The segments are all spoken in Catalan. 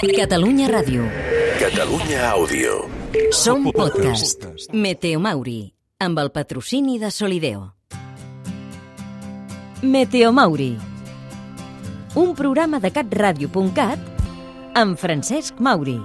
Catalunya Ràdio. Catalunya Àudio. Som podcast. Meteo Mauri, amb el patrocini de Solideo. Meteo Mauri, un programa de catradio.cat amb Francesc Mauri.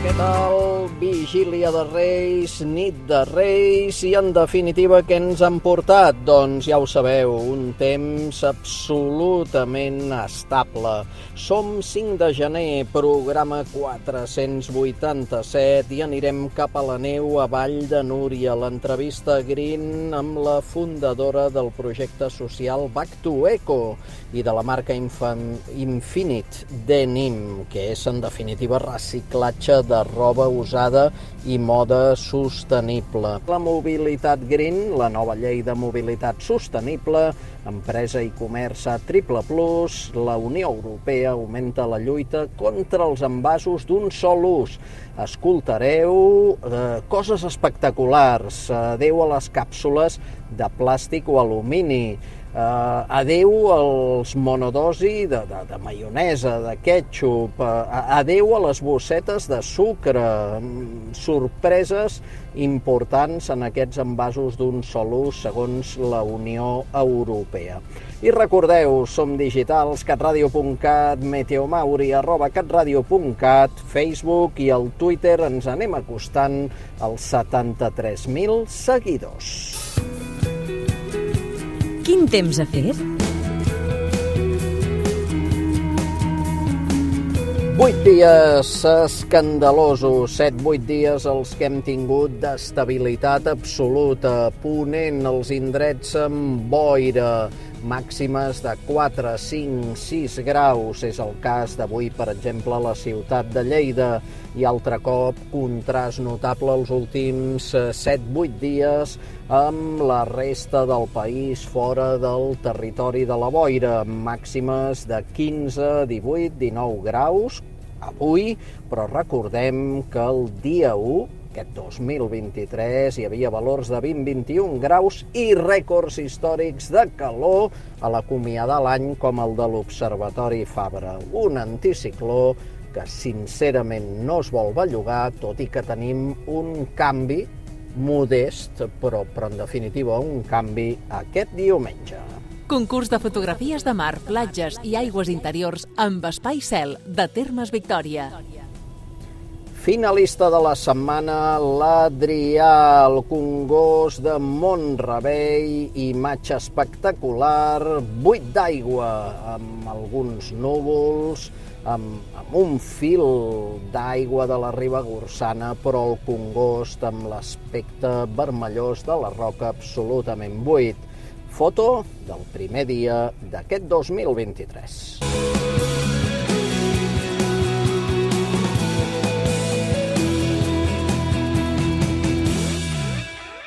Què tal? Vigília de Reis, nit de Reis i, en definitiva, què ens han portat? Doncs ja ho sabeu, un temps absolutament estable. Som 5 de gener, programa 487 i anirem cap a la neu a Vall de Núria. L'entrevista Green amb la fundadora del projecte social Back to Eco i de la marca Infinite Denim, que és, en definitiva, reciclatge de roba usada i moda sostenible. La mobilitat green, la nova llei de mobilitat sostenible, empresa i comerç a triple plus, la Unió Europea augmenta la lluita contra els envasos d'un sol ús. Escoltareu coses espectaculars, adeu a les càpsules de plàstic o alumini, adeu als monodosi de maionesa, de ketchup, adeu a les bossetes de sucre, sorpreses importants en aquests envasos d'un sol ús segons la Unió Europea. I recordeu, som digitals, catradio.cat, meteomauri, @catradio.cat, Facebook i al Twitter ens anem acostant als 73.000 seguidors. Quin temps ha fet? 8 dies escandalosos, 7-8 dies els que hem tingut d'estabilitat absoluta, ponent als indrets amb boira, màximes de 4, 5, 6 graus. És el cas d'avui, per exemple, a la ciutat de Lleida. I altre cop, contrast notable els últims 7-8 dies amb la resta del país fora del territori de la boira. Màximes de 15, 18, 19 graus avui, però recordem que el dia 1, aquest 2023, hi havia valors de 20-21 graus i rècords històrics de calor a l'acomiadar l'any com el de l'Observatori Fabra. Un anticicló que sincerament no es vol bellugar, tot i que tenim un canvi modest, però en definitiva un canvi aquest diumenge. Concurs de fotografies de mar, platges i aigües interiors amb espai cel de Termes Victòria. Finalista de la setmana, l'Adrià, el Congost de Mont-rebei, imatge espectacular, buit d'aigua, amb alguns núvols, amb un fil d'aigua de la Ribagorçana, però el Congost amb l'aspecte vermellós de la roca absolutament buit. Foto del primer dia d'aquest 2023.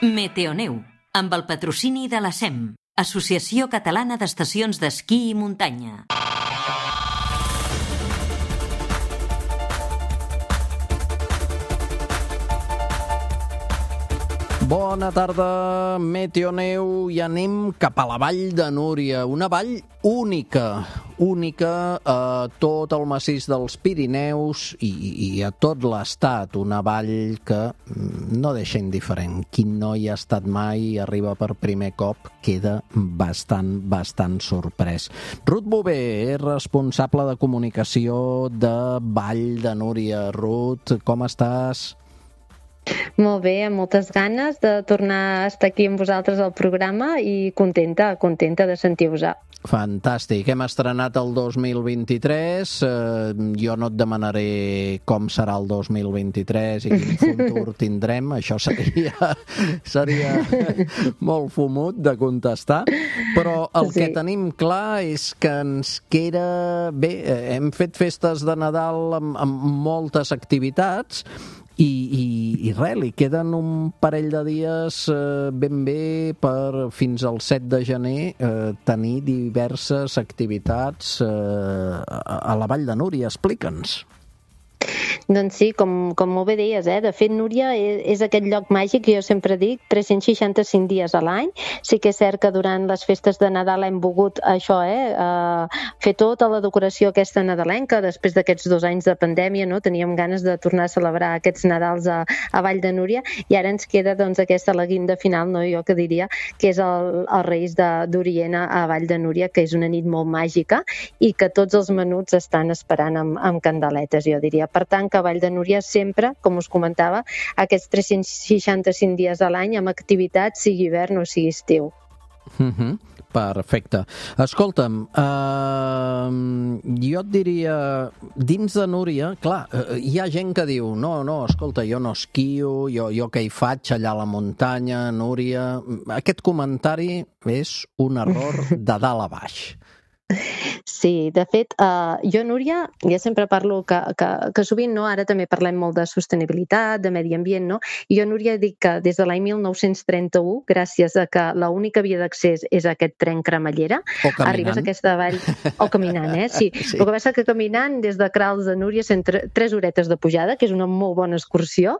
Meteoneu, amb el patrocini de la SEM, Associació Catalana d'Estacions d'Esquí i Muntanya. Bona tarda, Meteoneu, i anem cap a la Vall de Núria, una vall única a tot el massís dels Pirineus i a tot l'estat, una vall que no deixa indiferent. Qui no hi ha estat mai i arriba per primer cop queda bastant sorprès. Ruth Bové és responsable de comunicació de Vall de Núria. Ruth, com estàs? Molt bé, amb moltes ganes de tornar a estar aquí amb vosaltres al programa i contenta de sentir-vos. Fantàstic, hem estrenat el 2023, jo no et demanaré com serà el 2023 i quin futur tindrem, això seria molt fumut de contestar, però el que tenim clar és que ens queda bé, hem fet festes de Nadal amb moltes activitats, i res, li queden un parell de dies ben bé per fins al 7 de gener tenir diverses activitats a la Vall de Núria. Explica'ns. Doncs sí, com molt bé deies, de fet, Núria, és aquest lloc màgic que jo sempre dic, 365 dies a l'any. Sí que és cert que durant les festes de Nadal hem volgut això, fer tota la decoració aquesta nadalenca, després d'aquests 2 anys de pandèmia, no? Teníem ganes de tornar a celebrar aquests Nadals a Vall de Núria, i ara ens queda doncs aquesta la guinda final, no? Jo que diria que és el Reis d'Orient a Vall de Núria, que és una nit molt màgica i que tots els menuts estan esperant amb candeletes, jo diria. Per tant, que a Vall de Núria sempre, com us comentava, aquests 365 dies a l'any amb activitat, sigui hivern o sigui estiu. Perfecte. Escolta'm, jo et diria, dins de Núria, clar, hi ha gent que diu no, escolta, jo no esquio, jo què hi faig allà a la muntanya, Núria... Aquest comentari és un error de dalt a baix. Sí, de fet, jo, Núria, ja sempre parlo que sovint, no, ara també parlem molt de sostenibilitat, de medi ambient, no? I jo, Núria, dic que des de l'any 1931, gràcies a que l'única via d'accés és aquest tren cremallera, arribes a aquesta vall, o caminant, sí. Sí. El que passa que caminant des de Crals de Núria són 3 horetes de pujada, que és una molt bona excursió,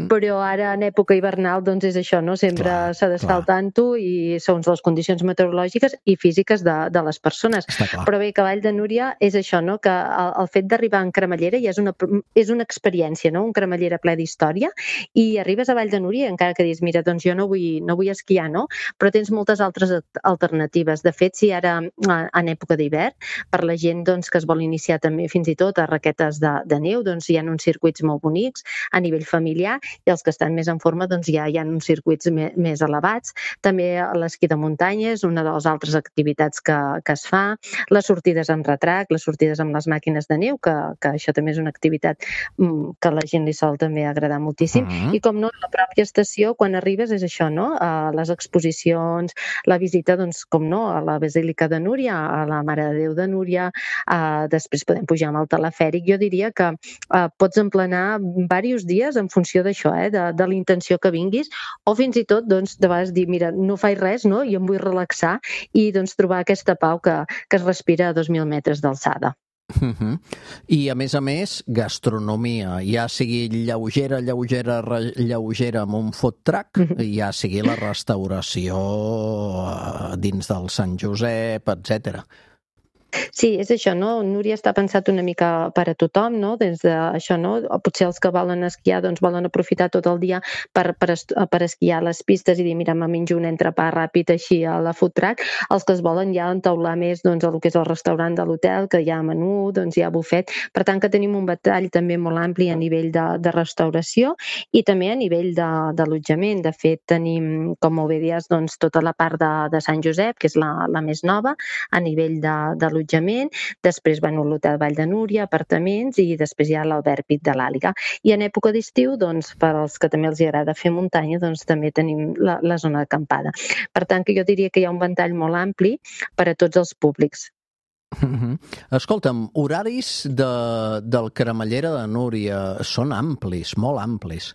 però ara en època hivernal doncs és això, no? Sempre s'ha d'estar al tanto i segons les condicions meteorològiques i físiques de les persones. Però bé, que Vall de Núria és això, no? Que el fet d'arribar en cremallera ja és una experiència, no? Un cremallera ple d'història, i arribes a Vall de Núria encara que dius, mira, doncs jo no vull esquiar, no? Però tens moltes altres alternatives. De fet, si ara en època d'hivern, per la gent doncs, que es vol iniciar també fins i tot a raquetes de neu, doncs hi ha uns circuits molt bonics a nivell familiar, i els que estan més en forma doncs ja hi ha uns circuits més elevats. També l'esquí de muntanya és una de les altres activitats que es fa, les sortides amb retrac, les sortides amb les màquines de neu, que això també és una activitat que a la gent li sol també agradar moltíssim. I com no, la pròpia estació, quan arribes, és això, no? Les exposicions, la visita, doncs, com no, a la Basílica de Núria, a la Mare de Déu de Núria, després podem pujar amb el telefèric. Jo diria que pots emplenar diversos dies en funció d'això, de la intenció que vinguis, o fins i tot, doncs, de vegades dir, mira, no faig res, no? I em vull relaxar, i doncs trobar aquesta pau que es respira a 2.000 metres d'alçada. I a més, gastronomia, ja sigui lleugera amb un food truck, ja sigui la restauració dins del Sant Josep, etc. Sí, és això, no? Núria està pensat una mica per a tothom, no? Des d'això, no? Potser els que volen esquiar doncs volen aprofitar tot el dia per esquiar a les pistes i dir, mira, me menjo un entrepà ràpid així a la food truck. Els que es volen ja entaular més doncs el que és el restaurant de l'hotel, que hi ha menú, doncs hi ha bufet. Per tant, que tenim un ventall també molt ampli a nivell de restauració i també a nivell d'allotjament. De fet, tenim, com molt bé dies, doncs tota la part de Sant Josep, que és la més nova, a nivell d'allotjament. Després l'hotel Vall de Núria, apartaments, i després hi ha l'Albert Pit de l'Àliga. I en època d'estiu, doncs, per als que també els agrada fer muntanya, doncs també tenim la zona d'acampada. Per tant, que jo diria que hi ha un ventall molt ampli per a tots els públics. Escolta'm, horaris del Cremallera de Núria són amplis, molt amplis.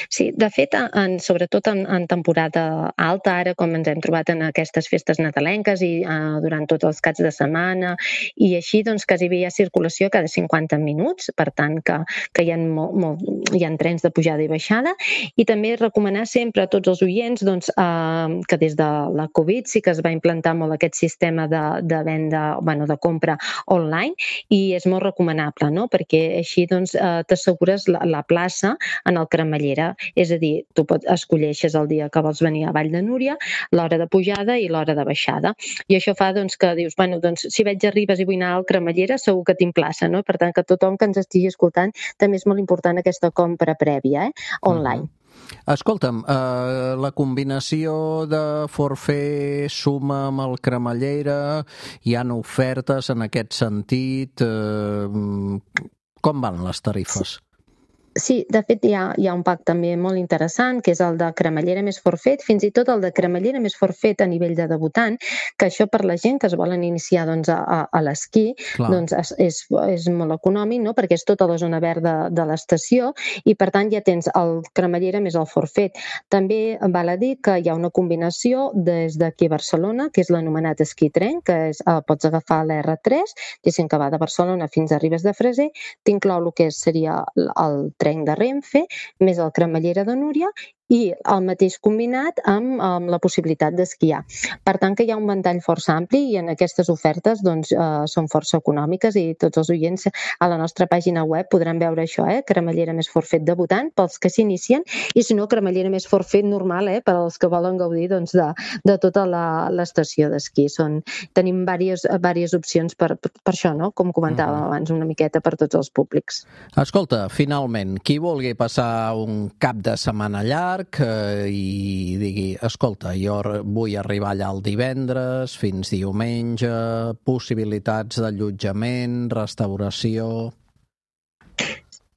Sí, de fet, sobretot en temporada alta, ara com ens hem trobat en aquestes festes nadalenques i durant tots els caps de setmana, i així doncs quasi bé hi ha circulació cada 50 minuts, per tant que hi ha trens de pujada i baixada, i també recomanar sempre a tots els oients doncs, que des de la Covid sí que es va implantar molt aquest sistema de venda, de compra online, i és molt recomanable, no? Perquè així doncs t'assegures la plaça en el Cremallera. És a dir, tu escolleixes el dia que vols venir a Vall de Núria, l'hora de pujada i l'hora de baixada. I això fa doncs, que dius, doncs, si veig a Ribes i vull anar al Cremallera, segur que tinc plaça, no? Per tant, que tothom que ens estigui escoltant, també és molt important aquesta compra prèvia, online. Escolta'm, la combinació de forfait suma amb el Cremallera, hi ha ofertes en aquest sentit, com van les tarifes? Sí, de fet hi ha un pack també molt interessant, que és el de cremallera més forfet, fins i tot el de cremallera més forfet a nivell de debutant, que això per la gent que es volen iniciar doncs, a l'esquí doncs és molt econòmic, no? Perquè és tota la zona verda de l'estació i per tant ja tens el cremallera més el forfet. També val a dir que hi ha una combinació des d'aquí a Barcelona, que és l'anomenat esquí tren, que pots agafar l'R3, diguéssim que va de Barcelona fins a Ribes de Freser, t'inclou el que seria el tren de Renfe, més el cremallera de Núria i el mateix combinat amb la possibilitat d'esquiar. Per tant, que hi ha un ventall força ampli i en aquestes ofertes doncs, són força econòmiques i tots els oients a la nostra pàgina web podran veure això, cremallera més forfet debutant pels que s'inicien i si no, cremallera més forfet normal per als que volen gaudir doncs, de tota l'estació d'esquí. Tenim diverses opcions per això, no? Com comentàvem abans, una miqueta per tots els públics. Escolta, finalment, qui vulgui passar un cap de setmana llarg i digui, escolta, jo vull arribar allà el divendres fins diumenge, possibilitats d'allotjament, restauració...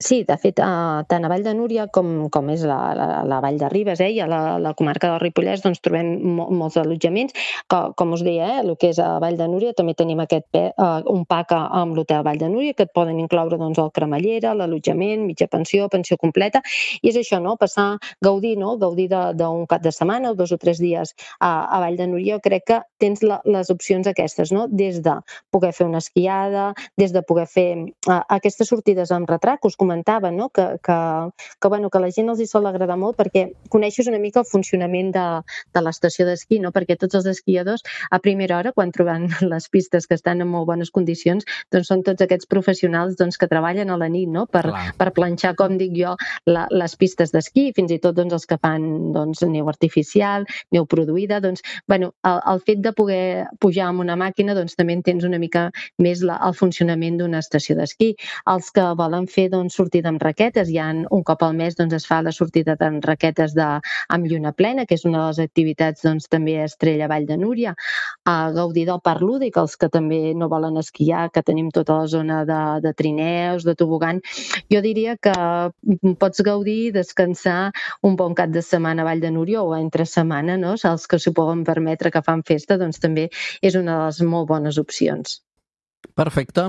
Sí, de fet, tant a Vall de Núria com és la Vall de Ribes i a la comarca del Ripollès doncs trobem molts allotjaments. Com us deia, el que és a Vall de Núria també tenim un pack amb l'Hotel Vall de Núria que et poden incloure doncs, el cremallera, l'allotjament, mitja pensió, pensió completa i és això, no? Passar, gaudir d'un cap de setmana o 2 o 3 dies a Vall de Núria. Jo crec que tens les opcions aquestes, no? Des de poder fer una esquiada, des de poder fer aquestes sortides amb retrat, us comentava, no? que la gent els hi sol agradar molt perquè coneixes una mica el funcionament de l'estació d'esquí, no? Perquè tots els esquiadors a primera hora, quan troben les pistes que estan en molt bones condicions, doncs són tots aquests professionals doncs, que treballen a la nit, no? Per planxar, com dic jo, les pistes d'esquí, fins i tot doncs, els que fan doncs, neu artificial, neu produïda, doncs, el fet de poder pujar amb una màquina doncs, també entens una mica més el funcionament d'una estació d'esquí. Els que volen fer doncs, sortida amb raquetes, un cop al mes doncs, es fa la sortida amb raquetes amb lluna plena, que és una de les activitats doncs, també estrella a Vall de Núria, a gaudir del parc lúdic, els que també no volen esquiar, que tenim tota la zona de trineus, de tobogan. Jo diria que pots gaudir, descansar un bon cap de setmana a Vall de Núria o entre setmana, no? Els que s'ho poden permetre que fan festa, doncs també és una de les molt bones opcions. Perfecte.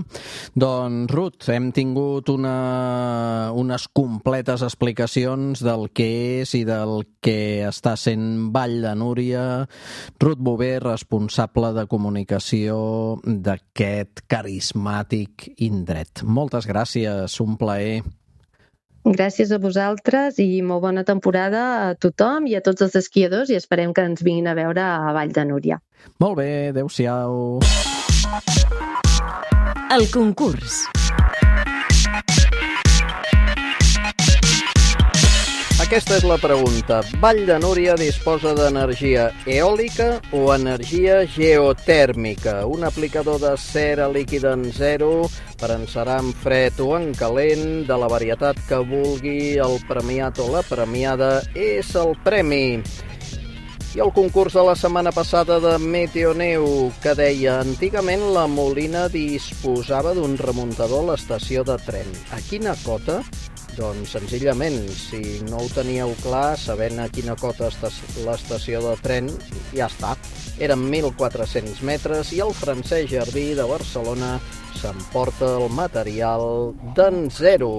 Doncs, Ruth, hem tingut unes completes explicacions del que és i del que està sent Vall de Núria. Ruth Bové, responsable de comunicació d'aquest carismàtic indret. Moltes gràcies, un plaer. Gràcies a vosaltres i molt bona temporada a tothom i a tots els esquiadors i esperem que ens vinguin a veure a Vall de Núria. Molt bé, adéu-siau. El concurs. Aquesta és la pregunta. Vall de Núria disposa d'energia eòlica o energia geotèrmica? Un aplicador de cera líquida en zero per encerar en fred o en calent de la varietat que vulgui el premiat o la premiada és el premi. I el concurs de la setmana passada de Meteoneu, que deia antigament la Molina disposava d'un remuntador a l'estació de tren. A quina cota? Doncs senzillament, si no ho teníeu clar, sabent a quina cota està l'estació de tren, ja està. Eren 1.400 metres i el Francesc Jardí de Barcelona s'emporta el material d'en zero.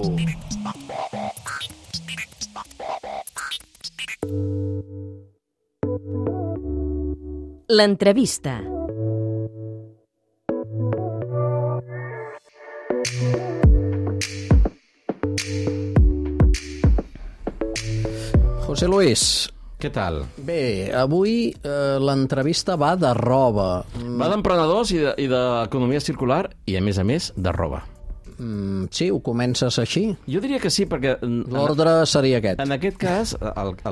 L'entrevista. José Luis. Què tal? Bé, avui l'entrevista va de roba. Va d'emprenedors i d'economia circular i, a més, de roba. Sí, ho comences així? Jo diria que sí, perquè... L'ordre seria aquest. En aquest cas,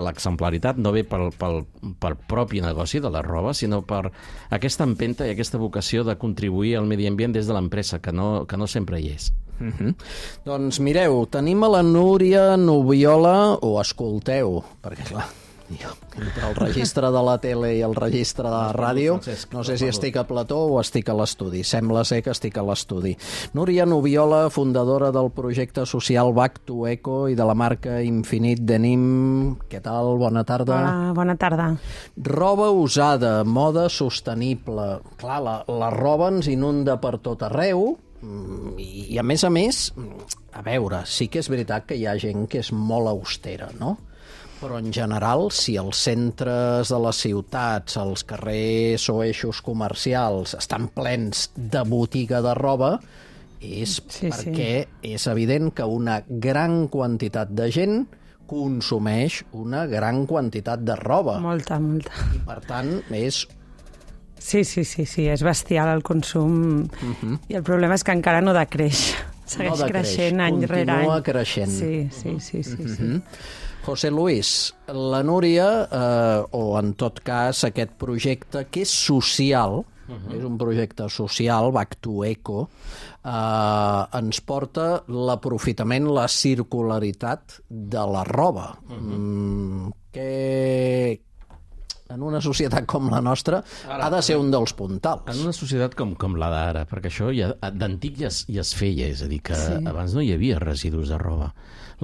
l'exemplaritat no ve pel propi negoci de la roba, sinó per aquesta empenta i aquesta vocació de contribuir al medi ambient des de l'empresa, que no sempre hi és. Doncs mireu, tenim a la Núria Nubiola, o escolteu, perquè clar, entre el registre de la tele i el registre de la ràdio, no sé si estic a plató o estic a l'estudi. Sembla ser que estic a l'estudi. Núria Noviola, fundadora del projecte social Back to Eco i de la marca Infinit Denim. Què tal? Bona tarda. Hola, bona tarda. Roba usada, moda sostenible. Clar, la roba ens inunda per tot arreu i a més, a veure, sí que és veritat que hi ha gent que és molt austera, no? Però en general, si els centres de les ciutats, els carrers o eixos comercials estan plens de botiga de roba, és perquè és evident que una gran quantitat de gent consumeix una gran quantitat de roba. Molta. I per tant, és... Sí, és bestial el consum i el problema és que encara no decreix. Segueix creixent any rere any. Continua creixent. Sí. José Luis, la Núria, o en tot cas aquest projecte que és social, és un projecte social, Back to Eco, ens porta l'aprofitament, la circularitat de la roba. En una societat com la nostra ha de ser un dels puntals. En una societat com la d'ara, perquè això d'antic ja es feia, és a dir, que abans no hi havia residus de roba.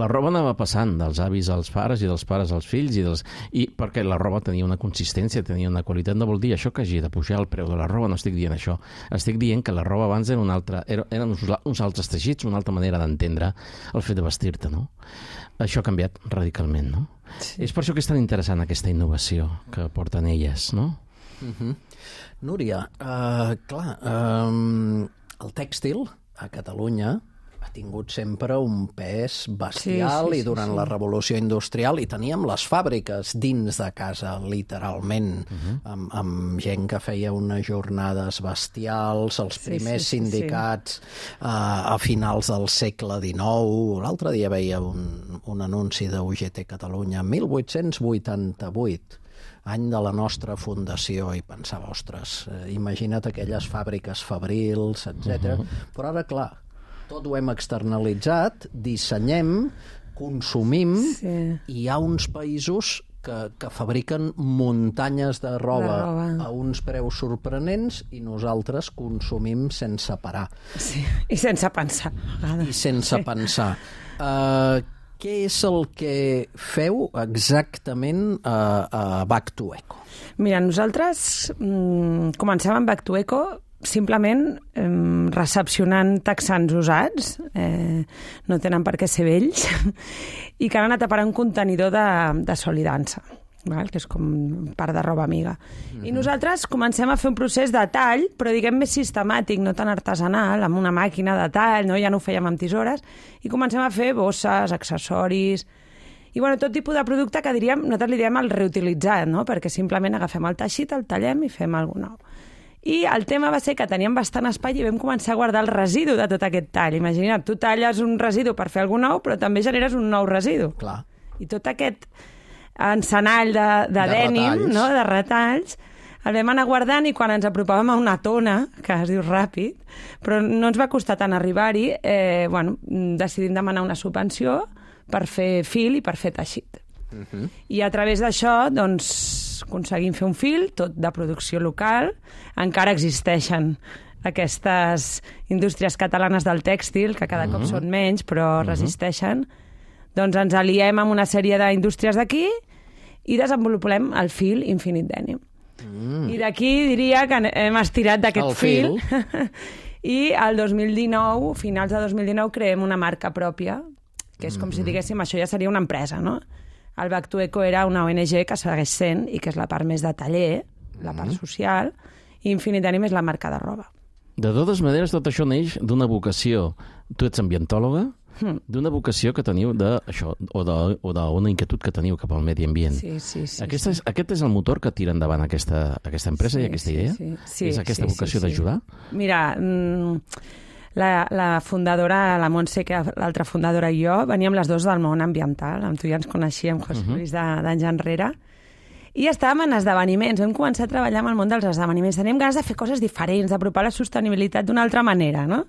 La roba anava passant dels avis als pares i dels pares als fills, i perquè la roba tenia una consistència, tenia una qualitat. No vol dir això que hagi de pujar el preu de la roba, no estic dient això. Estic dient que la roba abans eren uns altres teixits, una altra manera d'entendre el fet de vestir-te, no? Això ha canviat radicalment, no? Sí. És per això que és tan interessant aquesta innovació que porten elles, no? Núria, el tèxtil a Catalunya ha tingut sempre un pes bestial i durant la revolució industrial i teníem les fàbriques dins de casa, literalment, amb gent que feia unes jornades bestials, els primers sindicats a finals del segle XIX. L'altre dia veia un anunci d'UGT Catalunya, 1888, any de la nostra fundació, i pensava, ostres, imagina't aquelles fàbriques fabrils, etc. Però ara, clar, tot ho hem externalitzat, dissenyem, consumim, i hi ha uns països que fabriquen muntanyes de roba a uns preus sorprenents i nosaltres consumim sense parar. Sí, i sense pensar. I sense pensar. Què és el que feu exactament a Back to Eco? Mira, nosaltres comencem amb Back to Eco simplement recepcionant texans usats, no tenen per què ser vells, i que han anat a parar un contenidor de sol i dansa, que és com part de roba amiga. I nosaltres comencem a fer un procés de tall, però diguem més sistemàtic, no tan artesanal, amb una màquina de tall, no? Ja no ho fèiem amb tisores, i comencem a fer bosses, accessoris, i tot tipus de producte que nosaltres li diem el reutilitzat, no? Perquè simplement agafem el teixit, el tallem i fem alguna cosa nou. I el tema va ser que teníem bastant espai i vam començar a guardar el residu de tot aquest tall. Imagina't, tu talles un residu per fer alguna nou, però també generes un nou residu. Clar. I tot aquest encenall de dènim, no? De retalls, el vam anar guardant i quan ens apropàvem a una tona, que es diu ràpid, però no ens va costar tant arribar-hi, decidim demanar una subvenció per fer fil i per fer teixit. I a través d'això, aconseguim fer un fil, tot de producció local. Encara existeixen aquestes indústries catalanes del tèxtil, que cada cop són menys, però resisteixen. Doncs ens aliem amb una sèrie d'indústries d'aquí i desenvolupem el fil Infinit Denim. I d'aquí diria que hem estirat d'aquest fil. I el 2019, finals de 2019, creem una marca pròpia, que és com si diguéssim, això ja seria una empresa, no? El Back to Eco era una ONG que segueix sent i que és la part més de taller, la part social, i Infinit Denim és la marca de roba. De totes maneres, tot això neix d'una vocació. Tu ets ambientòloga, d'una vocació que teniu d'això, o d'una inquietud que teniu cap al medi ambient. Sí. Aquest és el motor que tira endavant aquesta empresa i aquesta idea? Sí. És aquesta vocació d'ajudar? Mira, la fundadora, la Montse, que l'altra fundadora i jo, veníem les dues del món ambiental. Amb tu ja ens coneixíem, José Luis, d'anys enrere. I estàvem en esdeveniments. Vam començar a treballar amb el món dels esdeveniments. Teníem ganes de fer coses diferents, d'apropar la sostenibilitat d'una altra manera, no?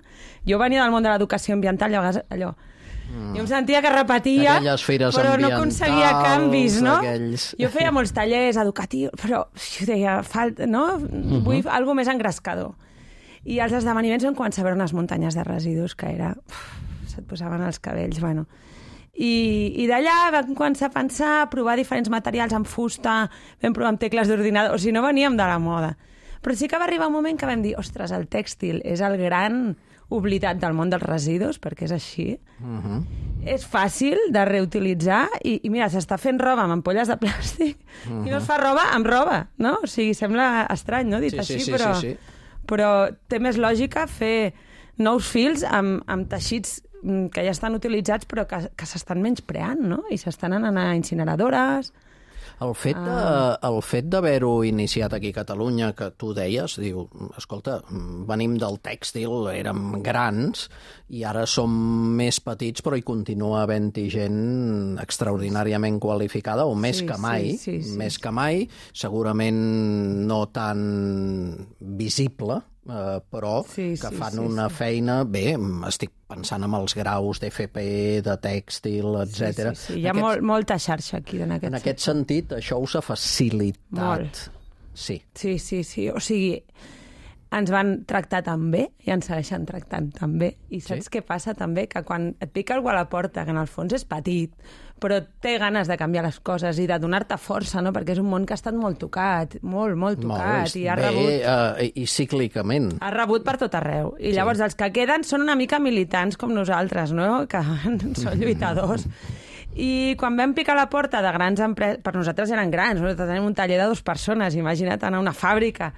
Jo venia del món de l'educació ambiental, allò Jo em sentia que repetia, però no aconseguia canvis, no? Jo feia molts tallers educatius, però jo deia, no? Vull alguna més engrescador. I els esdeveniments vam començar a veure unes muntanyes de residus que era... se't posaven els cabells, bueno... I d'allà vam començar a pensar, a provar diferents materials amb fusta, vam provar amb tecles d'ordinador, o sigui, no veníem de la moda. Però sí que va arribar un moment que vam dir, ostres, el tèxtil és el gran oblidat del món dels residus, perquè és així. És fàcil de reutilitzar i mira, s'està fent roba amb ampolles de plàstic i no es fa roba amb roba, no? O sigui, sembla estrany, no?, dit així, però té més lògica fer nous fils amb teixits que ja estan utilitzats però que s'estan menyspreant, no? I s'estan anant a incineradores. El fet d'haver-ho iniciat aquí a Catalunya, que tu deies, diu, escolta, venim del tèxtil, érem grans, i ara som més petits, però hi continua havent-hi gent extraordinàriament qualificada, o més que mai, més que mai, segurament no tan visible, però que fan una feina... Bé, estic pensant en els graus d'FP, de tèxtil, etc. Hi ha molta xarxa aquí en aquest sentit. En aquest sentit, això us ha facilitat. Molt. Sí. Sí. O sigui, ens van tractar tan bé i ens segueixen tractant tan bé. I saps què passa també? Que quan et pica algú a la porta, que en el fons és petit, però té ganes de canviar les coses i de donar-te força, no? Perquè és un món que ha estat molt tocat, molt tocat. I ha rebut... I cíclicament. Ha rebut per tot arreu. I llavors els que queden són una mica militants com nosaltres, no? Que són lluitadors. I quan vam picar la porta de grans empreses... Per nosaltres eren grans, nosaltres tenim un taller de 2 persones, imagina't anar a una fàbrica.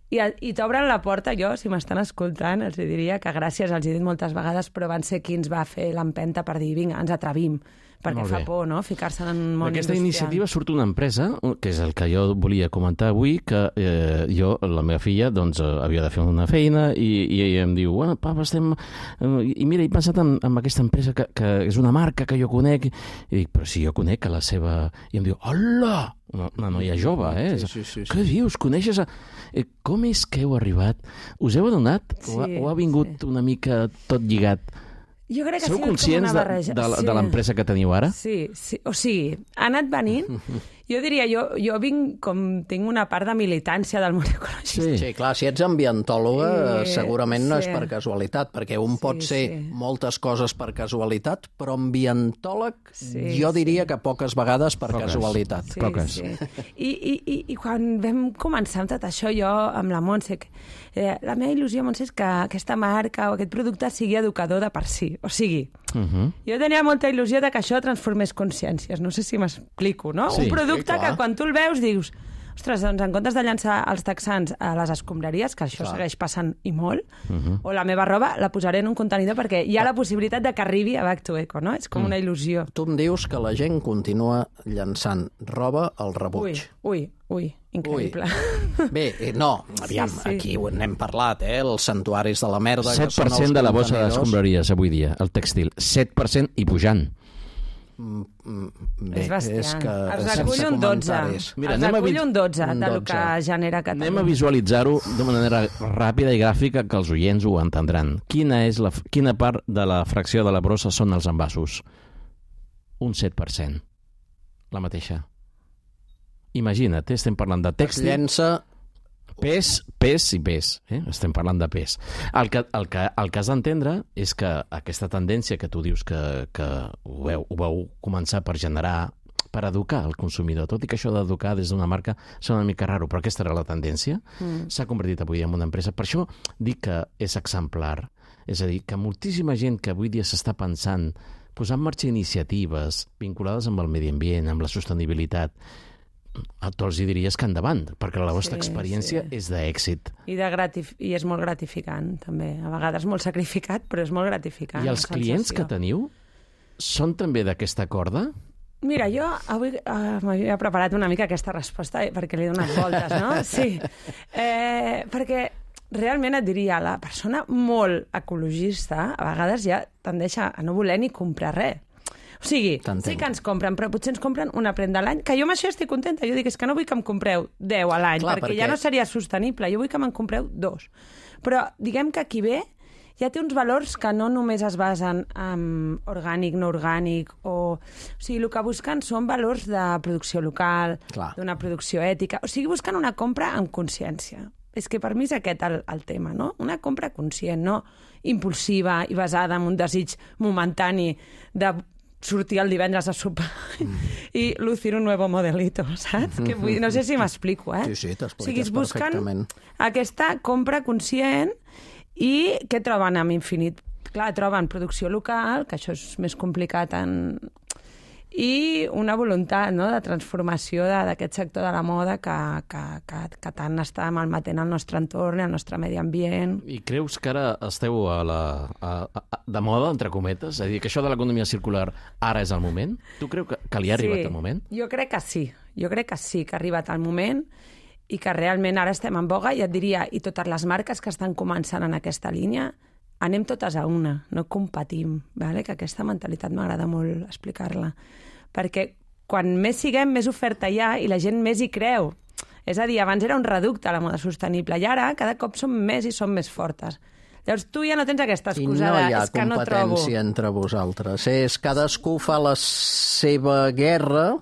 I t'obren la porta, jo, si m'estan escoltant, els diria que gràcies, els he dit moltes vegades, però van ser qui ens va fer l'empenta per dir, vinga, ens atrevim, perquè fa por, no?, ficar-se en un món D'aquesta industrial. iniciativa surt una empresa, que és el que jo volia comentar avui, que la meva filla, doncs, havia de fer una feina i em diu, bueno, papa, estem... I mira, he pensat en aquesta empresa que és una marca que jo conec, i dic, però si jo conec a la seva... I em diu, hola! Una noia jove, Sí. Què dius? Coneixes... Com és que heu arribat? Us heu adonat? O ha vingut una mica tot lligat? Jo crec que Sou conscients de l'empresa que teniu ara? Sí. O sigui, ha anat venint... Jo diria, jo tinc una part de militància del món ecologista. Sí, clar, si ets ambientòloga segurament no és per casualitat, perquè un pot ser moltes coses per casualitat, però ambientòleg jo diria que poques vegades per casualitat. Poques. I quan vam començar amb tot això, jo amb la Montse, la meva il·lusió, Montse, és que aquesta marca o aquest producte sigui educador de per si. O sigui, jo tenia molta il·lusió de que això transformés consciències. No sé si m'explico, no? Un producte que quan tu el veus dius, ostres, doncs en comptes de llançar els texans a les escombraries, que això segueix passant i molt, o la meva roba la posaré en un contenidor perquè hi ha la possibilitat de que arribi a Back to Eco, no? És com una il·lusió. Tu em dius que la gent continua llançant roba al rebuig. Ui, increïble. Bé, no, aviam, aquí n'hem parlat, els santuaris de la merda... 7% de la bossa d'escombraries avui dia, el tèxtil. 7% i pujant. És bastant. Es recull un 12. Mira, es recull un 12 del que genera Catalunya. Anem a visualitzar-ho de manera ràpida i gràfica que els oients ho entendran. Quina part de la fracció de la brossa són els envasos? Un 7%. La mateixa. Imagina't, estem parlant de tèxtil... Es llença... Pes i pes. Estem parlant de pes. El que has d'entendre és que aquesta tendència que tu dius que ho vau començar per generar, per educar el consumidor, tot i que això d'educar des d'una marca sona una mica raro, però aquesta era la tendència, s'ha convertit avui en una empresa. Per això dic que és exemplar. És a dir, que moltíssima gent que avui dia s'està pensant posar en marxa iniciatives vinculades amb el medi ambient, amb la sostenibilitat, a tots hi diries que endavant, perquè la vostra experiència és d'èxit. I és molt gratificant, també. A vegades molt sacrificat, però és molt gratificant. I els clients que teniu són també d'aquesta corda? Mira, jo avui m'havia preparat una mica aquesta resposta perquè li he donat voltes, no? Sí. Perquè realment et diria, la persona molt ecologista a vegades ja tendeix a no voler ni comprar res. O sigui, sí que ens compren, però potser ens compren una prenda a l'any, que jo amb això estic contenta. Jo dic, és que no vull que em compreu 10 a l'any, perquè ja no seria sostenible. Jo vull que me'n compreu 2. Però diguem que aquí ve ja té uns valors que no només es basen en orgànic, no orgànic, o sigui, el que busquen són valors de producció local, d'una producció ètica, o sigui, busquen una compra amb consciència. És que per mi és aquest el tema, no? Una compra conscient, no impulsiva i basada en un desig momentani de sortir el divendres a sopar i lucir un nuevo modelito, saps? Que no sé si m'explico, Sí, t'expliques perfectament. Aquesta compra conscient i què troben amb Infinit? Clar, troben producció local, que això és més complicat i una voluntat, no?, de transformació d'aquest sector de la moda que tant està malmetent el nostre entorn i el nostre medi ambient. I creus que ara esteu de moda, entre cometes? És a dir, que això de l'economia circular ara és el moment? Tu creus que li ha arribat el moment? Jo crec que sí. Jo crec que sí, que ha arribat el moment i que realment ara estem en boga, i et diria, i totes les marques que estan començant en aquesta línia, anem totes a una, no competim, vale? Que aquesta mentalitat m'agrada molt explicar-la, perquè quan més siguem, més oferta hi ha i la gent més hi creu. És a dir, abans era un reducte la moda sostenible i ara cada cop som més i som més fortes. Llavors tu ja no tens aquesta excusa de és que no trobo. I no hi ha competència entre vosaltres. És cadascú fa la seva guerra.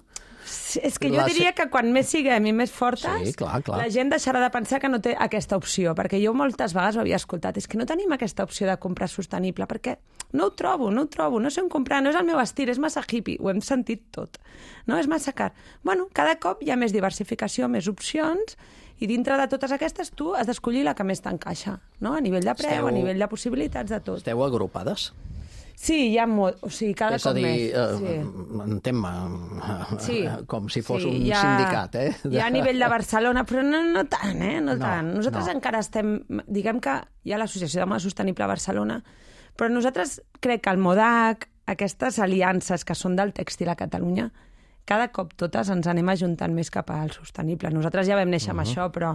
És que jo diria que quan més siguem i més fortes, clar. La gent deixarà de pensar que no té aquesta opció, perquè jo moltes vegades ho havia escoltat, és que no tenim aquesta opció de comprar sostenible, perquè no ho trobo, no sé on comprar, no és el meu estil, és massa hippie, ho hem sentit tot, no? És massa car. Bueno, cada cop hi ha més diversificació, més opcions, i dintre de totes aquestes tu has d'escollir la que més t'encaixa, no? A nivell de preu, a nivell de possibilitats, de tot. Esteu agrupades? Sí, hi ha molt... O sigui, cada cop més. És a dir, entén-me, com si fos un sindicat, Hi ha a nivell de Barcelona, però no tant, No tant. Nosaltres encara estem... Diguem que hi ha l'Associació de Moda Sostenible a Barcelona, però nosaltres crec que el MODAC, aquestes aliances que són del tèxtil a Catalunya, cada cop totes ens anem ajuntant més cap al sostenible. Nosaltres ja vam néixer amb això, però...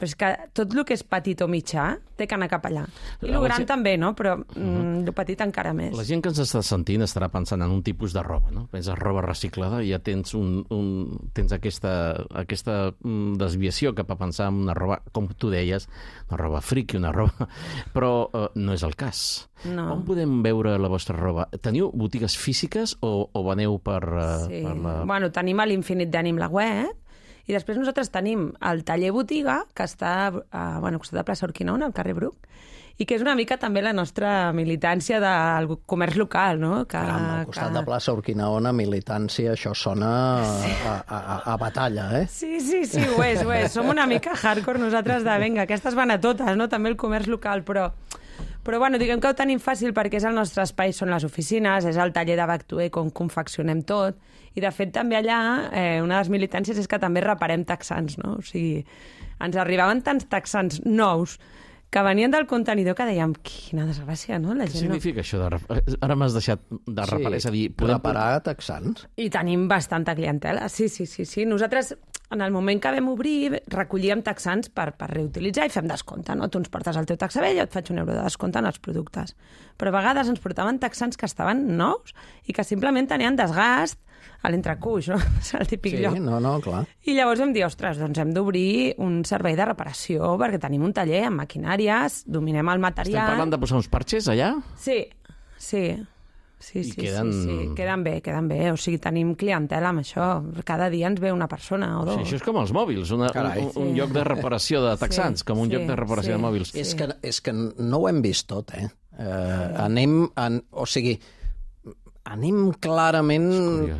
Però és que tot el que és petit o mitjà té que anar cap allà. I el gran també, no? Però el petit encara més. La gent que ens està sentint estarà pensant en un tipus de roba, no? Penses roba reciclada i ja tens tens aquesta desviació cap a pensar en una roba, com tu deies, una roba friki, una roba... Però no és el cas. No. On podem veure la vostra roba? Teniu botigues físiques o veneu per la... Bueno, tenim a l'Infinit Denim la web, i després nosaltres tenim el taller botiga, que està al costat de plaça Urquinaona, al carrer Bruc, i que és una mica també la nostra militància del comerç local, no? Caram, al costat de plaça Urquinaona, militància, això sona a batalla, Sí, ho és. Som una mica hardcore nosaltres de, vinga, aquestes van a totes, no? També el comerç local, però bueno, diguem que ho tenim fàcil perquè és el nostre espai, són les oficines, és el taller de Back2Eco on confeccionem tot, i de fet també allà una de les militàncies és que també reparem texans, no? O sigui, ens arribaven tants texans nous que venien del contenidor que dèiem, quina desgràcia, no? La gent Què significa això? Ara m'has deixat de reparar, és a dir... Reparar texans. I tenim bastanta clientela, sí. Nosaltres, en el moment que vam obrir, recollíem texans per reutilitzar i fem descompte, no? Tu ens portes el teu texà vell, jo et faig €1 de descompte en els productes. Però a vegades ens portaven texans que estaven nous i que simplement tenien desgast a l'entrecuix, no? És el típic lloc. Sí, no, clar. I llavors vam dir, ostres, doncs hem d'obrir un servei de reparació perquè tenim un taller amb maquinàries, dominem el material... Estem parlant de posar uns parxes allà? Sí. Queden bé. O sigui, tenim clientela amb això. Cada dia ens ve una persona o dos. Sí, això és com els mòbils, un lloc de reparació de texans, com un lloc de reparació de mòbils. És que no ho hem vist tot, anem clarament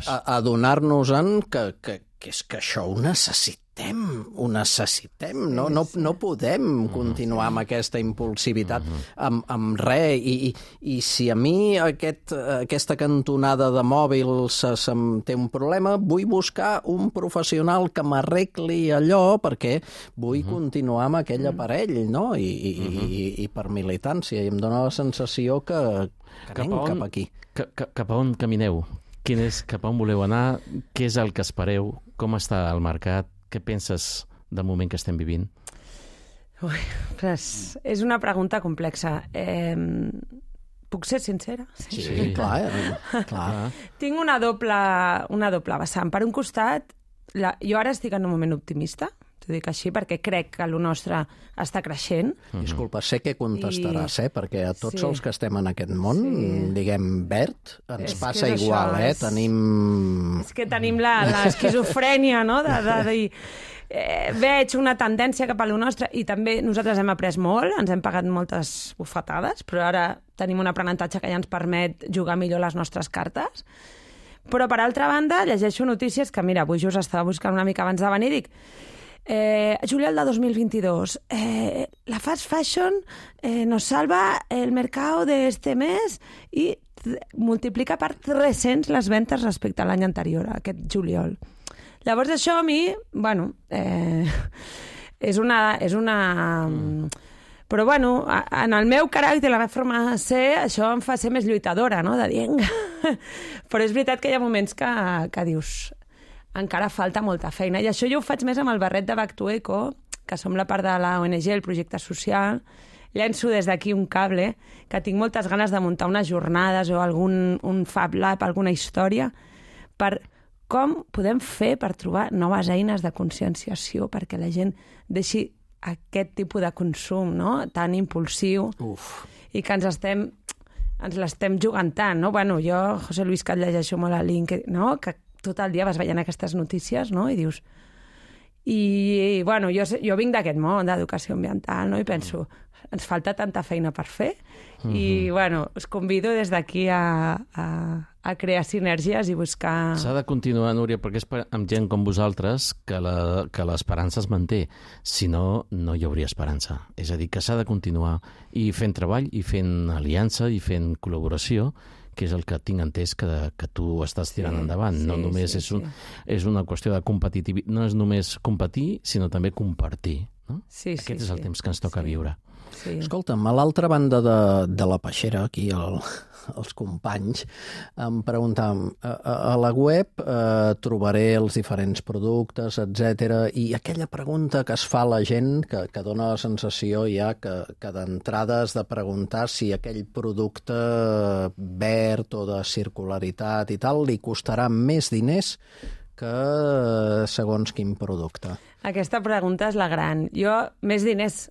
a donar-nos-en que és que això ho necessitem, no podem continuar amb aquesta impulsivitat, amb res, i si a mi aquesta cantonada de mòbils té un problema, vull buscar un professional que m'arregli allò perquè vull continuar amb aquell aparell, no? I per militància, i em dóna la sensació que anem cap aquí. Cap a on camineu? Cap a on voleu anar? Què és el que espereu? Com està el mercat? Què penses del moment que estem vivint? És una pregunta complexa. Puc ser sincera? Sí, clar. Tinc una doble vessant. Per un costat, jo ara estic en un moment optimista. T'ho dic així perquè crec que el nostre està creixent. Disculpa, sé que contestaràs, perquè a tots els que estem en aquest món, diguem, verd, ens passa igual, tenim... És que tenim l'esquizofrènia, no?, de dir... veig una tendència cap a lo nostre i també nosaltres hem après molt, ens hem pagat moltes bufetades, però ara tenim un aprenentatge que ja ens permet jugar millor les nostres cartes. Però, per altra banda, llegeixo notícies que, mira, avui just estava buscant una mica abans de venir i dic juliol de 2022 la fast fashion nos salva el mercado de este mes i multiplica per 300 les ventes respecte a l'any anterior, aquest juliol. Llavors això a mi, bueno, és una... Però bueno, en el meu caràcter, la meva forma de ser, això em fa ser més lluitadora, no?, de dir, però és veritat que hi ha moments que dius, encara falta molta feina. I això jo ho faig més amb el barret de Back to Eco, que som la part de la ONG, el projecte social. Llenço des d'aquí un cable, que tinc moltes ganes de muntar unes jornades o un Fab Lab, alguna història, per com podem fer per trobar noves eines de conscienciació perquè la gent deixi aquest tipus de consum, no?, tan impulsiu. I que ens l'estem jugant tant, no? Bueno, jo, José Luis, que et llegeixo molt a LinkedIn, no?, que tot el dia vas veient aquestes notícies, no?, i dius... I bueno, jo vinc d'aquest món d'educació ambiental, no?, i penso, ens falta tanta feina per fer, i bueno, us convido des d'aquí a crear sinergies i buscar... S'ha de continuar, Núria, perquè és amb gent com vosaltres que l'esperança es manté. Si no, no hi hauria esperança. És a dir, que s'ha de continuar i fent treball, i fent aliança, i fent col·laboració, que és el que tinc entès que tu estàs tirant endavant. No només és una qüestió de competitivitat, no és només competir, sinó també compartir. No? Aquest és el temps que ens toca viure. Sí. Escolta'm, a l'altra banda de la peixera, aquí els companys, em preguntàvem, a la web trobaré els diferents productes, etc. I aquella pregunta que es fa a la gent, que dona la sensació ja que d'entrada has de preguntar si aquell producte verd o de circularitat i tal li costarà més diners que segons quin producte. Aquesta pregunta és la gran. Jo, més diners...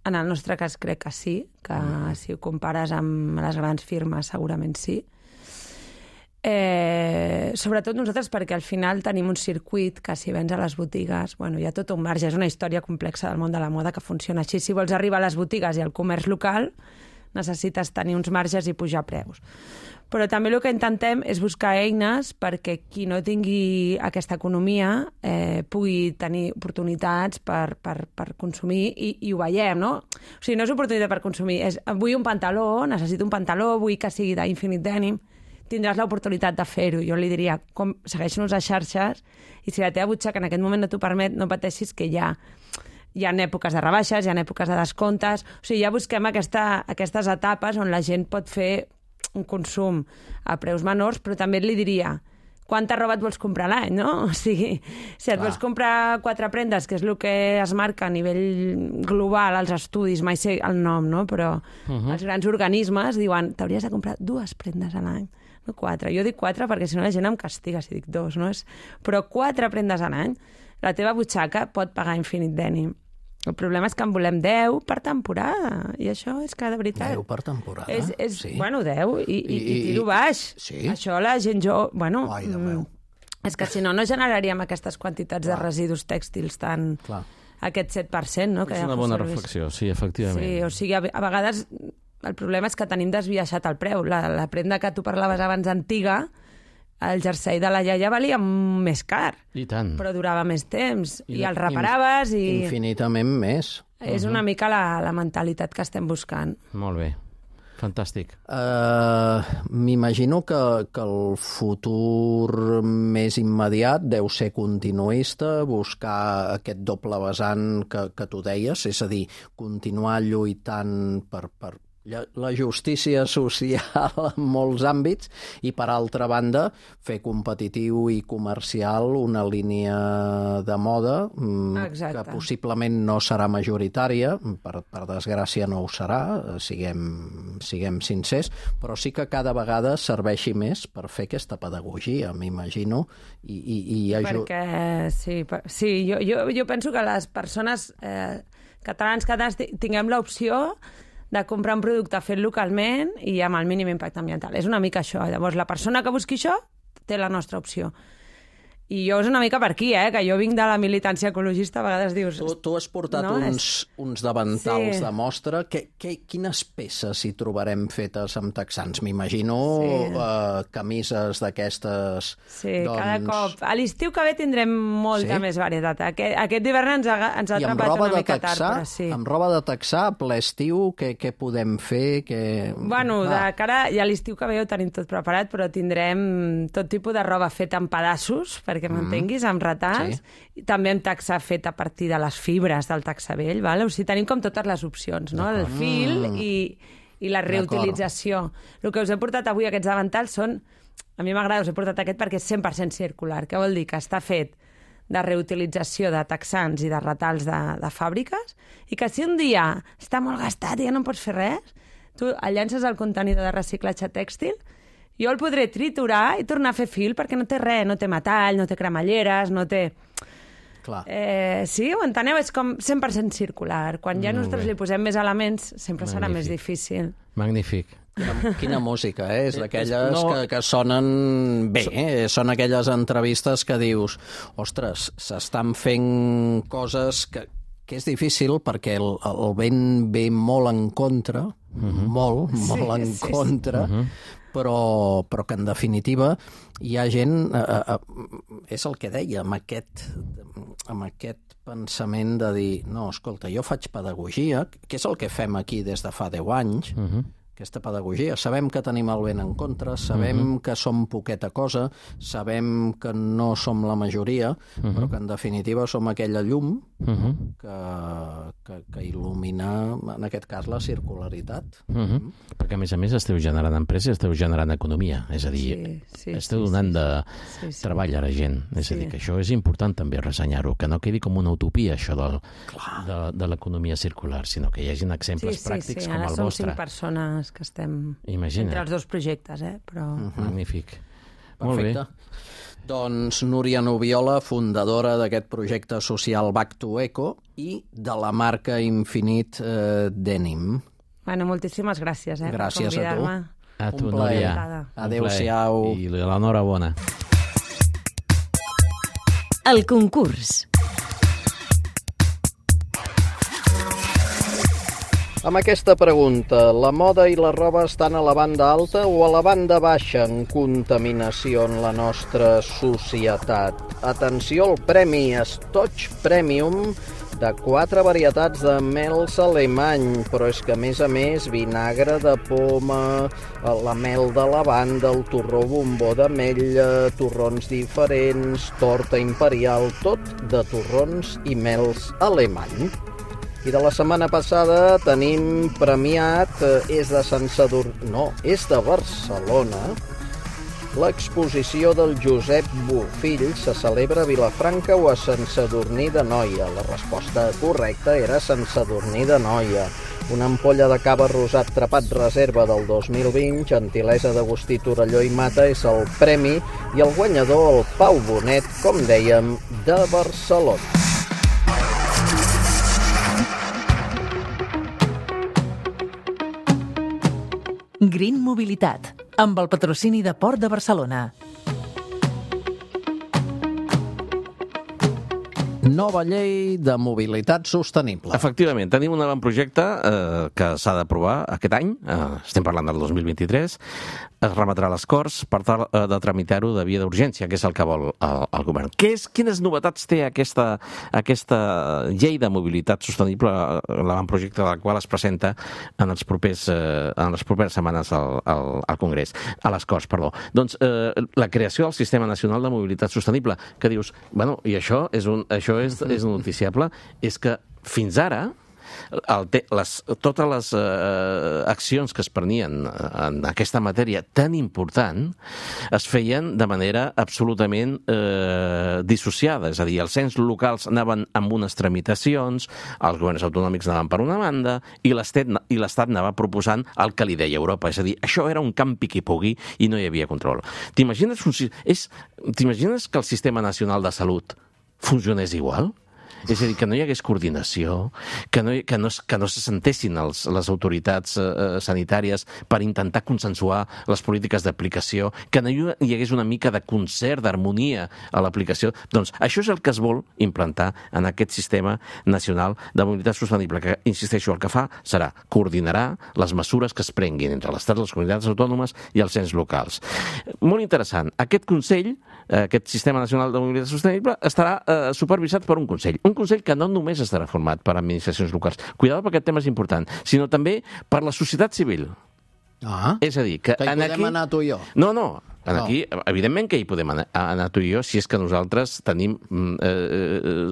En el nostre cas crec que sí, que si ho compares amb les grans firmes segurament sí. Sobretot nosaltres perquè al final tenim un circuit que si vens a les botigues, bueno, hi ha tot un marge, és una història complexa del món de la moda que funciona així. Si vols arribar a les botigues i al comerç local necessites tenir uns marges i pujar preus. Però també el que intentem és buscar eines perquè qui no tingui aquesta economia pugui tenir oportunitats per consumir i ho veiem, no? O sigui, no és oportunitat per consumir, és vull un pantaló, necessito un pantaló, vull que sigui d'Infinite Denim, tindràs l'oportunitat de fer-ho. Jo li diria, segueix-nos a xarxes i si la teva butxaca en aquest moment no t'ho permet, no pateixis que hi ha èpoques de rebaixes, hi ha èpoques de descomptes, o sigui, ja busquem aquestes etapes on la gent pot fer un consum a preus menors, però també li diria quanta roba et vols comprar a l'any, no? O sigui, si et vols comprar 4 prendes, que és el que es marca a nivell global als estudis, mai sé el nom, no? Però els grans organismes diuen t'hauries de comprar 2 prendes a l'any, no 4. Jo dic 4 perquè si no la gent em castiga si dic 2, no? Però 4 prendes a l'any, la teva butxaca pot pagar Infinite Denim. El problema és que en volem 10 per temporada, i això és que, de veritat... 10 per temporada? Sí. Bueno, 10, i tiro baix. Sí? Això la gent jo... Bueno, ai, de meu. És que si no, no generaríem aquestes quantitats de residus tèxtils tan... Clar. Aquest 7%, no? És una bona reflexió, sí, efectivament. Sí, o sigui, a vegades el problema és que tenim desviaixat el preu. La prenda que tu parlaves abans antiga, el jersei de la iaia valia més car. I tant. Però durava més temps. I el reparaves i... Infinitament més. És una mica la mentalitat que estem buscant. Molt bé. Fantàstic. M'imagino que el futur més immediat deu ser continuista, buscar aquest doble vessant que tu deies, és a dir, continuar lluitant per la justícia social en molts àmbits i, per altra banda, fer competitiu i comercial una línia de moda que possiblement no serà majoritària, per desgràcia no ho serà, siguem sincers, però sí que cada vegada serveixi més per fer aquesta pedagogia, m'imagino, i perquè sí, jo penso que les persones catalanes tinguem l'opció de comprar un producte fet localment i amb el mínim impacte ambiental. És una mica això. Llavors, la persona que busqui això té la nostra opció. I jo és una mica per aquí, que jo vinc de la militància ecologista, a vegades dius... Tu has portat uns davantals de mostra. Quines peces hi trobarem fetes amb texans? M'imagino camises d'aquestes... Sí, cada cop. A l'estiu que ve tindrem molta més varietat. Aquest hivern ens ha atrapat una mica tard, però sí. Amb roba de texà, ple estiu, què podem fer? Bueno, de cara a l'estiu que ve ho tenim tot preparat, però tindrem tot tipus de roba feta en pedaços, perquè m'entenguis, amb retalls. Sí. També amb texà fet a partir de les fibres del texà vell. Vale? O sigui, tenim com totes les opcions, no? El fil i la reutilització. El que us he portat avui, aquests davantals, són... A mi m'agrada, us he portat aquest perquè és 100% circular. Què vol dir? Que està fet de reutilització de texans i de retalls de fàbriques i que si un dia està molt gastat i ja no pots fer res, tu el llences al contenidor de reciclatge tèxtil, jo el podré triturar i tornar a fer fil perquè no té res, no té metall, no té cremalleres, no té... Clar. Sí, ho enteneu? És com 100% circular. Quan ja nosaltres li posem més elements, sempre serà més difícil. Magnífic. Quina música, és d'aquelles que sonen bé, són aquelles entrevistes que dius, ostres, s'estan fent coses que és difícil perquè el vent ve molt en contra, molt en contra, però que en definitiva hi ha gent, és el que deia, amb aquest pensament de dir, no, escolta, jo faig pedagogia, que és el que fem aquí des de fa 10 anys, aquesta pedagogia. Sabem que tenim el vent en contra, sabem que som poqueta cosa, sabem que no som la majoria, però que en definitiva som aquella llum que il·lumina, en aquest cas, la circularitat. Perquè, a més, esteu generant empreses, esteu generant economia, és a dir, esteu donant de treball a la gent. És a dir, que això és important també ressenyar-ho, que no quedi com una utopia, això de l'economia circular, sinó que hi hagi exemples pràctics com el vostre. Ara som 5 persones que estem entre els dos projectes, però... Magnífic. Molt bé. Doncs Núria Nubiola, fundadora d'aquest projecte social Back to Eco i de la marca Infinite Denim. Bueno, moltíssimes gràcies per convidar-me. A tu, Núria. Adéu-siau. I l'enhorabona. El concurs. Amb aquesta pregunta, la moda i la roba estan a la banda alta o a la banda baixa en contaminació en la nostra societat? Atenció al premi Stoch Premium de 4 varietats de mels alemany, però és que, a més, vinagre de poma, la mel de lavanda, el torró bombó d'ametlla, torrons diferents, torta imperial, tot de torrons i mels alemany. I de la setmana passada tenim premiat, és de Barcelona, l'exposició del Josep Bofill se celebra a Vilafranca o a Sant Sadurní d'Anoia. La resposta correcta era Sant Sadurní d'Anoia. Una ampolla de cava rosat trepat reserva del 2020, gentilesa d'Agustí Torelló i Mata, és el premi, i el guanyador, el Pau Bonet, com dèiem, de Barcelona. Green Mobilitat, amb el patrocini de Port de Barcelona. Nova llei de mobilitat sostenible. Efectivament, tenim un avantprojecte que s'ha d'aprovar aquest any, estem parlant del 2023, es remetrà a les Corts per tal de tramitar-ho de via d'urgència, que és el que vol el govern. Quines novetats té aquesta llei de mobilitat sostenible, l'avantprojecte del qual es presenta en les properes setmanes al Congrés, a les Corts, perdó. Doncs la creació del Sistema Nacional de Mobilitat Sostenible, que dius, bueno, i això és noticiable, és que fins ara totes les accions que es prenien en aquesta matèria tan important es feien de manera absolutament dissociada. És a dir, els ens locals anaven amb unes tramitacions, els governs autonòmics anaven per una banda i l'Estat anava proposant el que li deia Europa. És a dir, això era un campi qui pugui i no hi havia control. T'imagines que el Sistema Nacional de Salut funcionés igual? És a dir, que no hi hagués coordinació, que no se sentessin les autoritats sanitàries per intentar consensuar les polítiques d'aplicació, que no hi hagués una mica de concert, d'harmonia a l'aplicació. Doncs això és el que es vol implantar en aquest Sistema Nacional de Mobilitat Sostenible, que, insisteixo, el que fa serà coordinarà les mesures que es prenguin entre l'Estat, les comunitats autònomes i els ens locals. Molt interessant. Aquest Consell, aquest Sistema Nacional de Mobilitat Sostenible, estarà supervisat per un Consell. Un Consell que no només estarà format per administracions locals, cuidado perquè aquest tema és important, sinó també per la societat civil. És a dir, que hi podem anar tu i jo? No. Aquí, evidentment que hi podem anar tu i jo si és que nosaltres tenim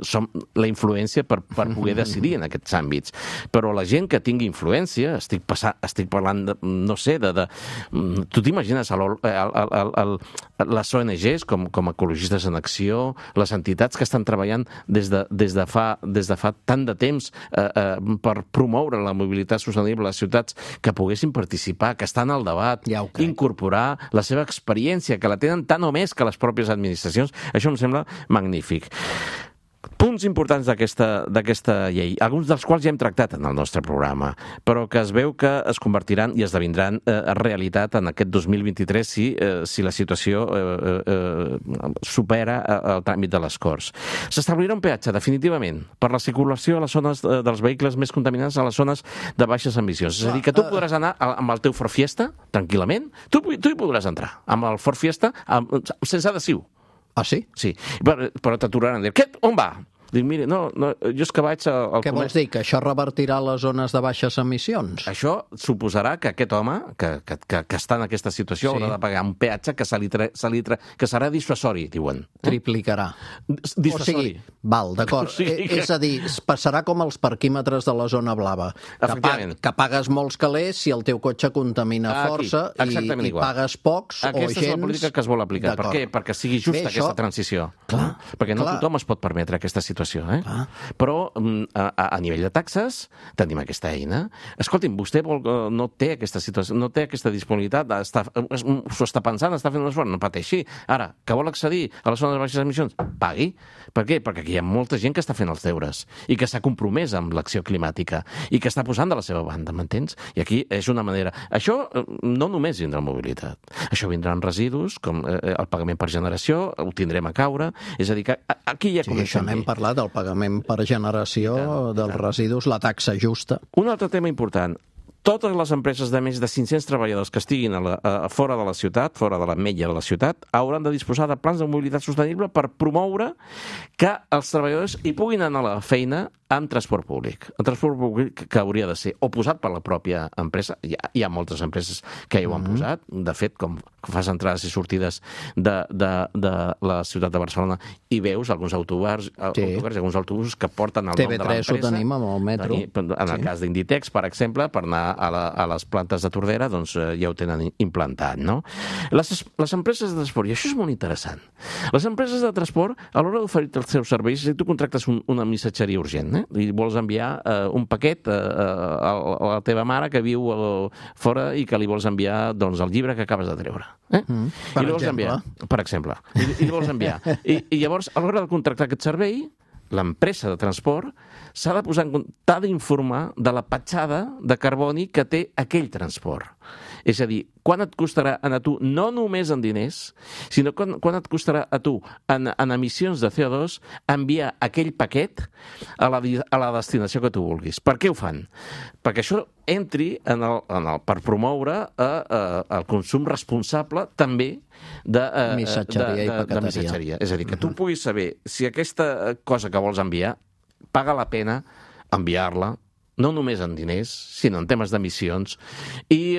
som la influència per poder decidir en aquests àmbits. Però la gent que tingui influència, estic parlant, no sé, tu t'imagines les ONGs com Ecologistes en Acció, les entitats que estan treballant des de fa tant de temps per promoure la mobilitat sostenible a les ciutats, que poguessin participar, que estan al debat, incorporar la seva experiència, que la tenen tant o més que les pròpies administracions. Això em sembla magnífic. Punts importants d'aquesta llei, alguns dels quals ja hem tractat en el nostre programa, però que es veu que es convertiran i esdevindran realitat en aquest 2023 si la situació supera el tràmit de les Corts. S'establirà un peatge, definitivament, per la circulació a les zones dels vehicles més contaminants, a les zones de baixes emissions. És a dir, que tu podràs anar amb el teu Ford Fiesta, tranquil·lament, tu hi podràs entrar amb el Ford Fiesta sense adhesiu. Ah, sí? Sí, però t'aturaran. On va? Dic, mira, no, jo és que vaig al Què vols dir? Que això revertirà les zones de baixes emissions? Això suposarà que aquest home, que està en aquesta situació, haurà de pagar un peatge que serà dissuasori, diuen. Triplicarà. Dissuasori. Val, d'acord. És a dir, passarà com els parquímetres de la zona blava. Que pagues molts calés si el teu cotxe contamina força i pagues pocs o gens... Aquesta és la política que es vol aplicar. Per què? Perquè sigui justa aquesta transició. Perquè no tothom es pot permetre aquesta situació. Però a nivell de taxes tenim aquesta eina. Escolti'm, vostè no té aquesta situació, no té aquesta disponibilitat, s'ho està pensant, està fent un esforç, no pateixi. Ara, que vol accedir a les zones de baixes emissions, pagui. Per què? Perquè aquí hi ha molta gent que està fent els deures i que s'ha compromès amb l'acció climàtica i que està posant de la seva banda, m'entens? I aquí és una manera... Això no només vindrà en mobilitat. Això vindrà en residus, com el pagament per generació, ho tindrem a caure. És a dir, que aquí ja comencem bé. N'hem parlat del pagament per generació dels residus, la taxa justa. Un altre tema important. Totes les empreses de més de 500 treballadors que estiguin fora de la ciutat, fora de la metlla de la ciutat, hauran de disposar de plans de mobilitat sostenible per promoure que els treballadors hi puguin anar a la feina amb transport públic. El transport públic que hauria de ser o posat per la pròpia empresa, hi ha moltes empreses que hi ho han posat, de fet, com fas entrades i sortides de la ciutat de Barcelona i veus alguns autobars i alguns autobusos que porten el nom de l'empresa. TV3 ho tenim amb el metro. En el cas d'Inditex, per exemple, per anar a les plantes de Tordera, doncs ja ho tenen implantat, no? Les empreses de transport, i això és molt interessant, les empreses de transport, a l'hora d'oferir els seus serveis, si tu contractes una missatgeria urgent, i vols enviar un paquet a la teva mare que viu fora i que li vols enviar doncs, el llibre que acabes de treure. Per exemple. Per exemple. I li vols enviar. I llavors, a l'hora de contractar aquest servei, l'empresa de transport t'ha d'informar de la petjada de carboni que té aquell transport. És a dir, quan et costarà a tu, no només en diners, sinó quan et costarà a tu en emissions de CO2 enviar aquell paquet a la destinació que tu vulguis. Per què ho fan? Perquè això entri per promoure el consum responsable també de missatgeria. És a dir, que tu puguis saber si aquesta cosa que vols enviar paga la pena enviar-la, no només en diners, sinó en temes d'emissions, i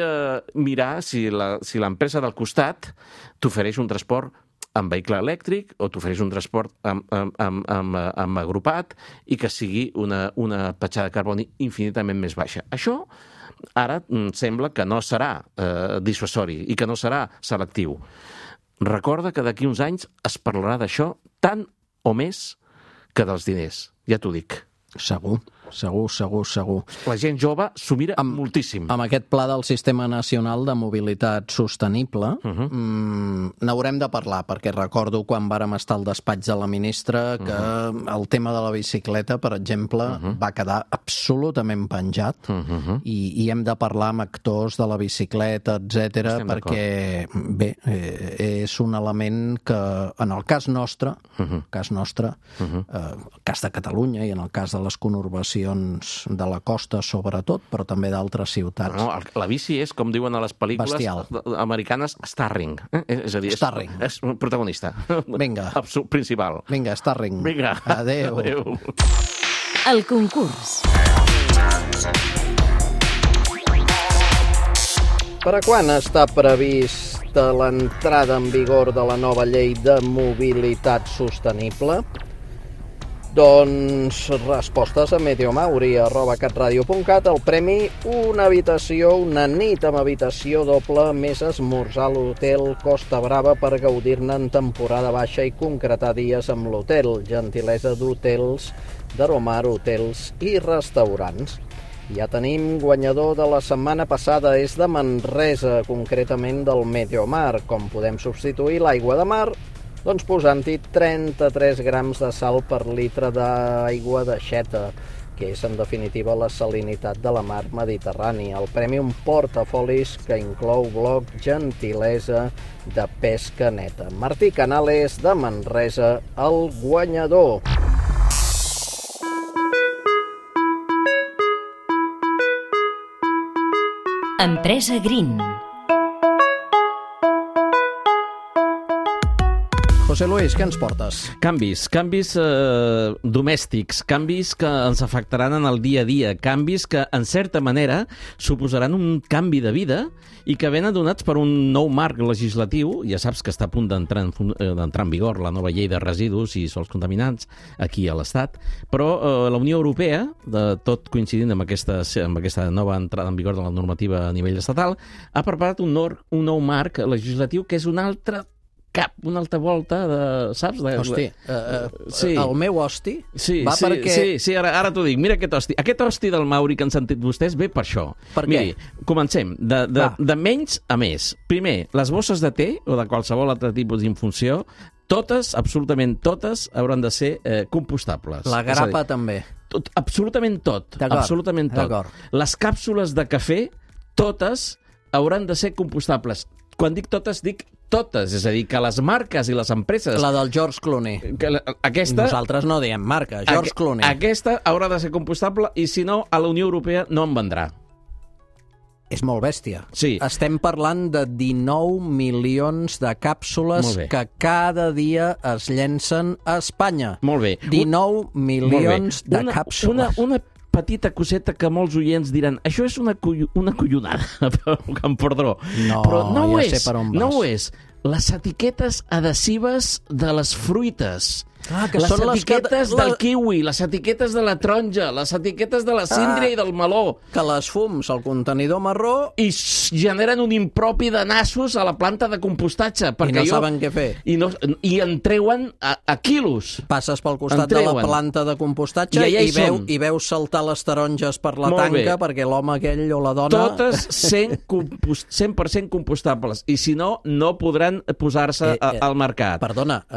mirar si l'empresa del costat t'ofereix un transport amb vehicle elèctric o t'ofereix un transport amb agrupat i que sigui una petjada de carboni infinitament més baixa. Això ara sembla que no serà dissuasori i que no serà selectiu. Recorda que d'aquí uns anys es parlarà d'això tant o més que dels diners, ja t'ho dic. Segur. La gent jove s'ho mira moltíssim. Amb aquest pla del Sistema Nacional de Mobilitat Sostenible n'haurem de parlar, perquè recordo quan vàrem estar al despatx de la ministra que el tema de la bicicleta, per exemple, va quedar absolutament penjat i hem de parlar amb actors de la bicicleta, etc, perquè, bé, és un element que, en el cas nostre, el cas de Catalunya i en el cas de les conurbacions de la costa, sobretot, però també d'altres ciutats. No, la bici és, com diuen a les pel·lícules americanes, starring. És a dir, és un protagonista. Vinga. Principal. Vinga, starring. Vinga. Adéu. El concurs. Per a quan està prevista l'entrada en vigor de la nova llei de mobilitat sostenible? Doncs respostes a mediomauri@catradio.cat. El premi, una nit amb habitació doble més esmorzar a l'hotel Costa Brava per gaudir-ne en temporada baixa i concretar dies amb l'hotel. Gentilesa d'hotels, d'Aromar Hotels i Restaurants. Ja tenim guanyador de la setmana passada, és de Manresa, concretament del Mediomar. Com podem substituir l'aigua de mar? Doncs posant-hi 33 grams de sal per litre d'aigua d'aixeta, que és en definitiva la salinitat de la mar Mediterrània. El premi, un portafolis que inclou bloc Gentilesa de pesca neta. Martí Canales, de Manresa, el guanyador. Empresa Green. José Luis, què ens portes? Canvis domèstics, canvis que ens afectaran en el dia a dia, canvis que, en certa manera, suposaran un canvi de vida i que venen donats per un nou marc legislatiu. Ja saps que està a punt d'entrar en vigor la nova llei de residus i sòls contaminants aquí a l'Estat, però la Unió Europea, tot coincidint amb aquesta nova entrada en vigor de la normativa a nivell estatal, ha preparat un nou marc legislatiu que és una altra volta de... Saps? Hosti, el meu hosti va perquè... Sí, ara t'ho dic. Mira aquest hosti. Aquest hosti del Mauri que han sentit vostès ve per això. Per què? Miri, comencem. De menys a més. Primer, les bosses de té o de qualsevol altre tipus d'infunció, totes, absolutament totes, hauran de ser compostables. La grapa també. Absolutament tot. Absolutament tot. Les càpsules de cafè, totes, hauran de ser compostables. Quan dic totes, és a dir, que les marques i les empreses... La del George Clooney. Nosaltres no diem marca, George Clooney. Aquesta haurà de ser compostable i, si no, a la Unió Europea no en vendrà. És molt bèstia. Sí. Estem parlant de 19 milions de càpsules que cada dia es llencen a Espanya. Molt bé. 19 milions de càpsules. Una petita coseta que molts oients diran això és una collonada, amb perdó. Però no ho és. Les etiquetes adhesives de les fruites. Que les etiquetes del kiwi, les etiquetes de la taronja, les etiquetes de la síndria i del meló. Que les fums al contenidor marró... I generen un impropi de nassos a la planta de compostatge. I no saben què fer. I en treuen a quilos. Passes pel costat de la planta de compostatge i veus saltar les taronges per la tanca perquè l'home aquell o la dona... Totes 100% compostables. I si no, no podran posar-se al mercat. Perdona,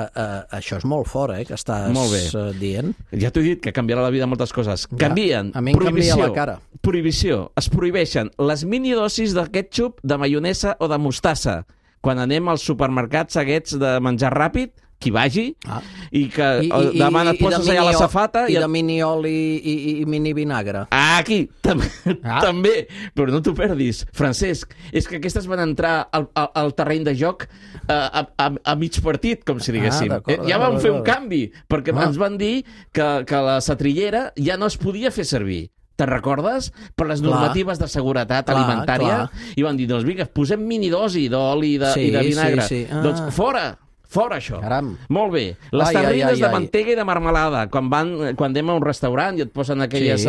això és molt fort, que estàs dient. Ja t'ho he dit, que canviarà la vida moltes coses. Canvien. A mi em canvia la cara. Prohibició. Es prohibeixen les minidosis de ketchup, de maionesa o de mostassa. Quan anem als supermercats aquests de menjar ràpid, qui vagi, i que demà et poses allà a la safata... I de mini oli i mini vinagre. Aquí, també. Però no t'ho perdis. Francesc, és que aquestes van entrar al terreny de joc a mig partit, com si diguéssim. Ja vam fer un canvi, perquè ens van dir que la setrillera ja no es podia fer servir. Te'n recordes? Per les normatives de seguretat alimentària. I van dir, doncs vinga, posem minidosi d'oli i de vinagre. Doncs fora Fora això. Caram. Molt bé. Les terrines de mantega i de marmelada, quan anem a un restaurant i et posen aquelles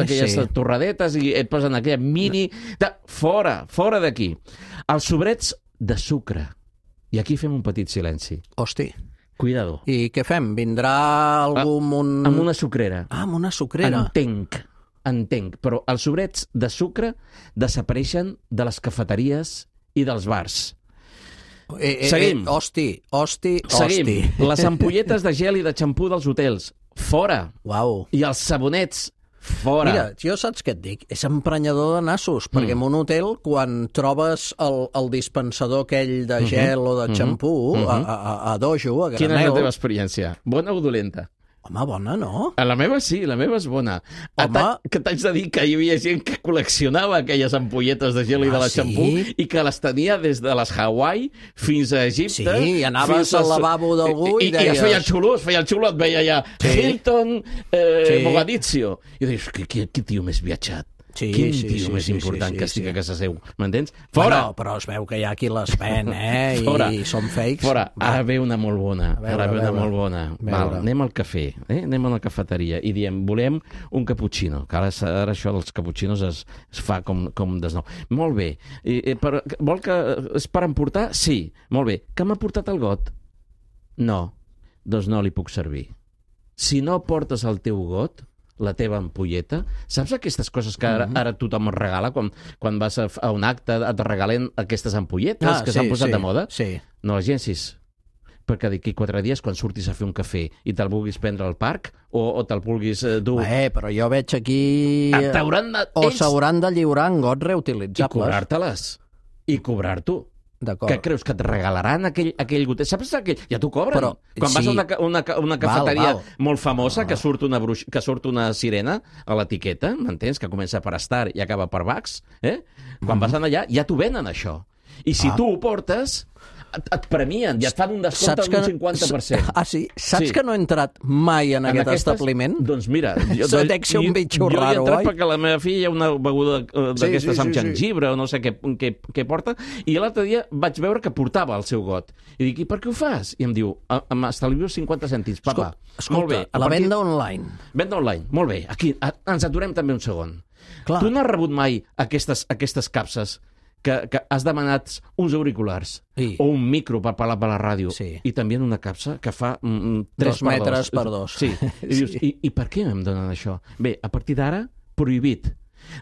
torradetes i et posen aquella mini... Fora d'aquí. Els sobrets de sucre. I aquí fem un petit silenci. Hosti. Cuidado. I què fem? Vindrà algú amb una sucrera. Amb una sucrera. Entenc. Però els sobrets de sucre desapareixen de les cafeteries i dels bars. Seguim. Hosti. Seguim. Les ampolletes de gel i de xampú dels hotels. Fora. Uau. I els sabonets. Fora. Mira, jo saps què et dic? És emprenyador de nassos, perquè en un hotel, quan trobes el dispensador aquell de gel o de xampú, a dojo, a granel... Quina és la teva experiència? Bona o dolenta? Home, bona, no? La meva sí, la meva és bona. Que t'haig de dir que hi havia gent que col·leccionava aquelles ampolletes de gel i de la xampú i que les tenia des de les Hawaii fins a Egipte. Sí, i anaves al lavabo d'algú i deies... I es feia el xulo, et veia allà Hilton Mogadiscio. I deies, que tio més viatjat. Quin tio més important que estic a casa seu. M'entens? Fora! Bueno, però es veu que hi ha qui les ven, i són fakes. Fora! Ara ve una molt bona. Anem al cafè, anem a la cafeteria i diem, volem un cappuccino, que ara això dels cappuccinos es fa com desnou. Molt bé. Vol que és per emportar? Sí. Molt bé. Que m'ha portat el got? No. Doncs no li puc servir. Si no portes el teu got, la teva ampolleta, saps aquestes coses que ara tothom es regala quan vas a un acte, et regalen aquestes ampolletes que s'han posat de moda? Sí. No les llencis, perquè d'aquí 4 dies quan surtis a fer un cafè i te'l vulguis prendre al parc o te'l vulguis dur... Però jo veig aquí... s'hauran de lliurar en gots reutilitzables. I cobrar-te-les. I cobrar-t'ho. D'acord. Què creus, que et regalaran aquell gotet? Saps aquell? Ja t'ho cobren. Però, quan vas a una cafeteria molt famosa, que surt una sirena a l'etiqueta, m'entens? Que comença per Star i acaba per Vax, quan vas allà ja t'ho venen, això. I si tu ho portes, et premien i et fan un descompte d'un 50%. Sí? Saps que no he entrat mai en aquest establiment? Doncs mira, dec ser un bitxo raro, jo he entrat perquè la meva filla hi ha una beguda d'aquestes amb gengibre o no sé què porta, i l'altre dia vaig veure que portava el seu got. I dic, i per què ho fas? I em diu, m'estalvio 50 cèntims, papa. Escolta, a la venda online. Venda online, molt bé. Aquí ens aturem també un segon. Tu no has rebut mai aquestes capses que has demanat uns auriculars o un micro per parlar per la ràdio i també una capsa que fa 3 metres per 2. Sí. I dius, i per què em donen això? Bé, a partir d'ara, prohibit.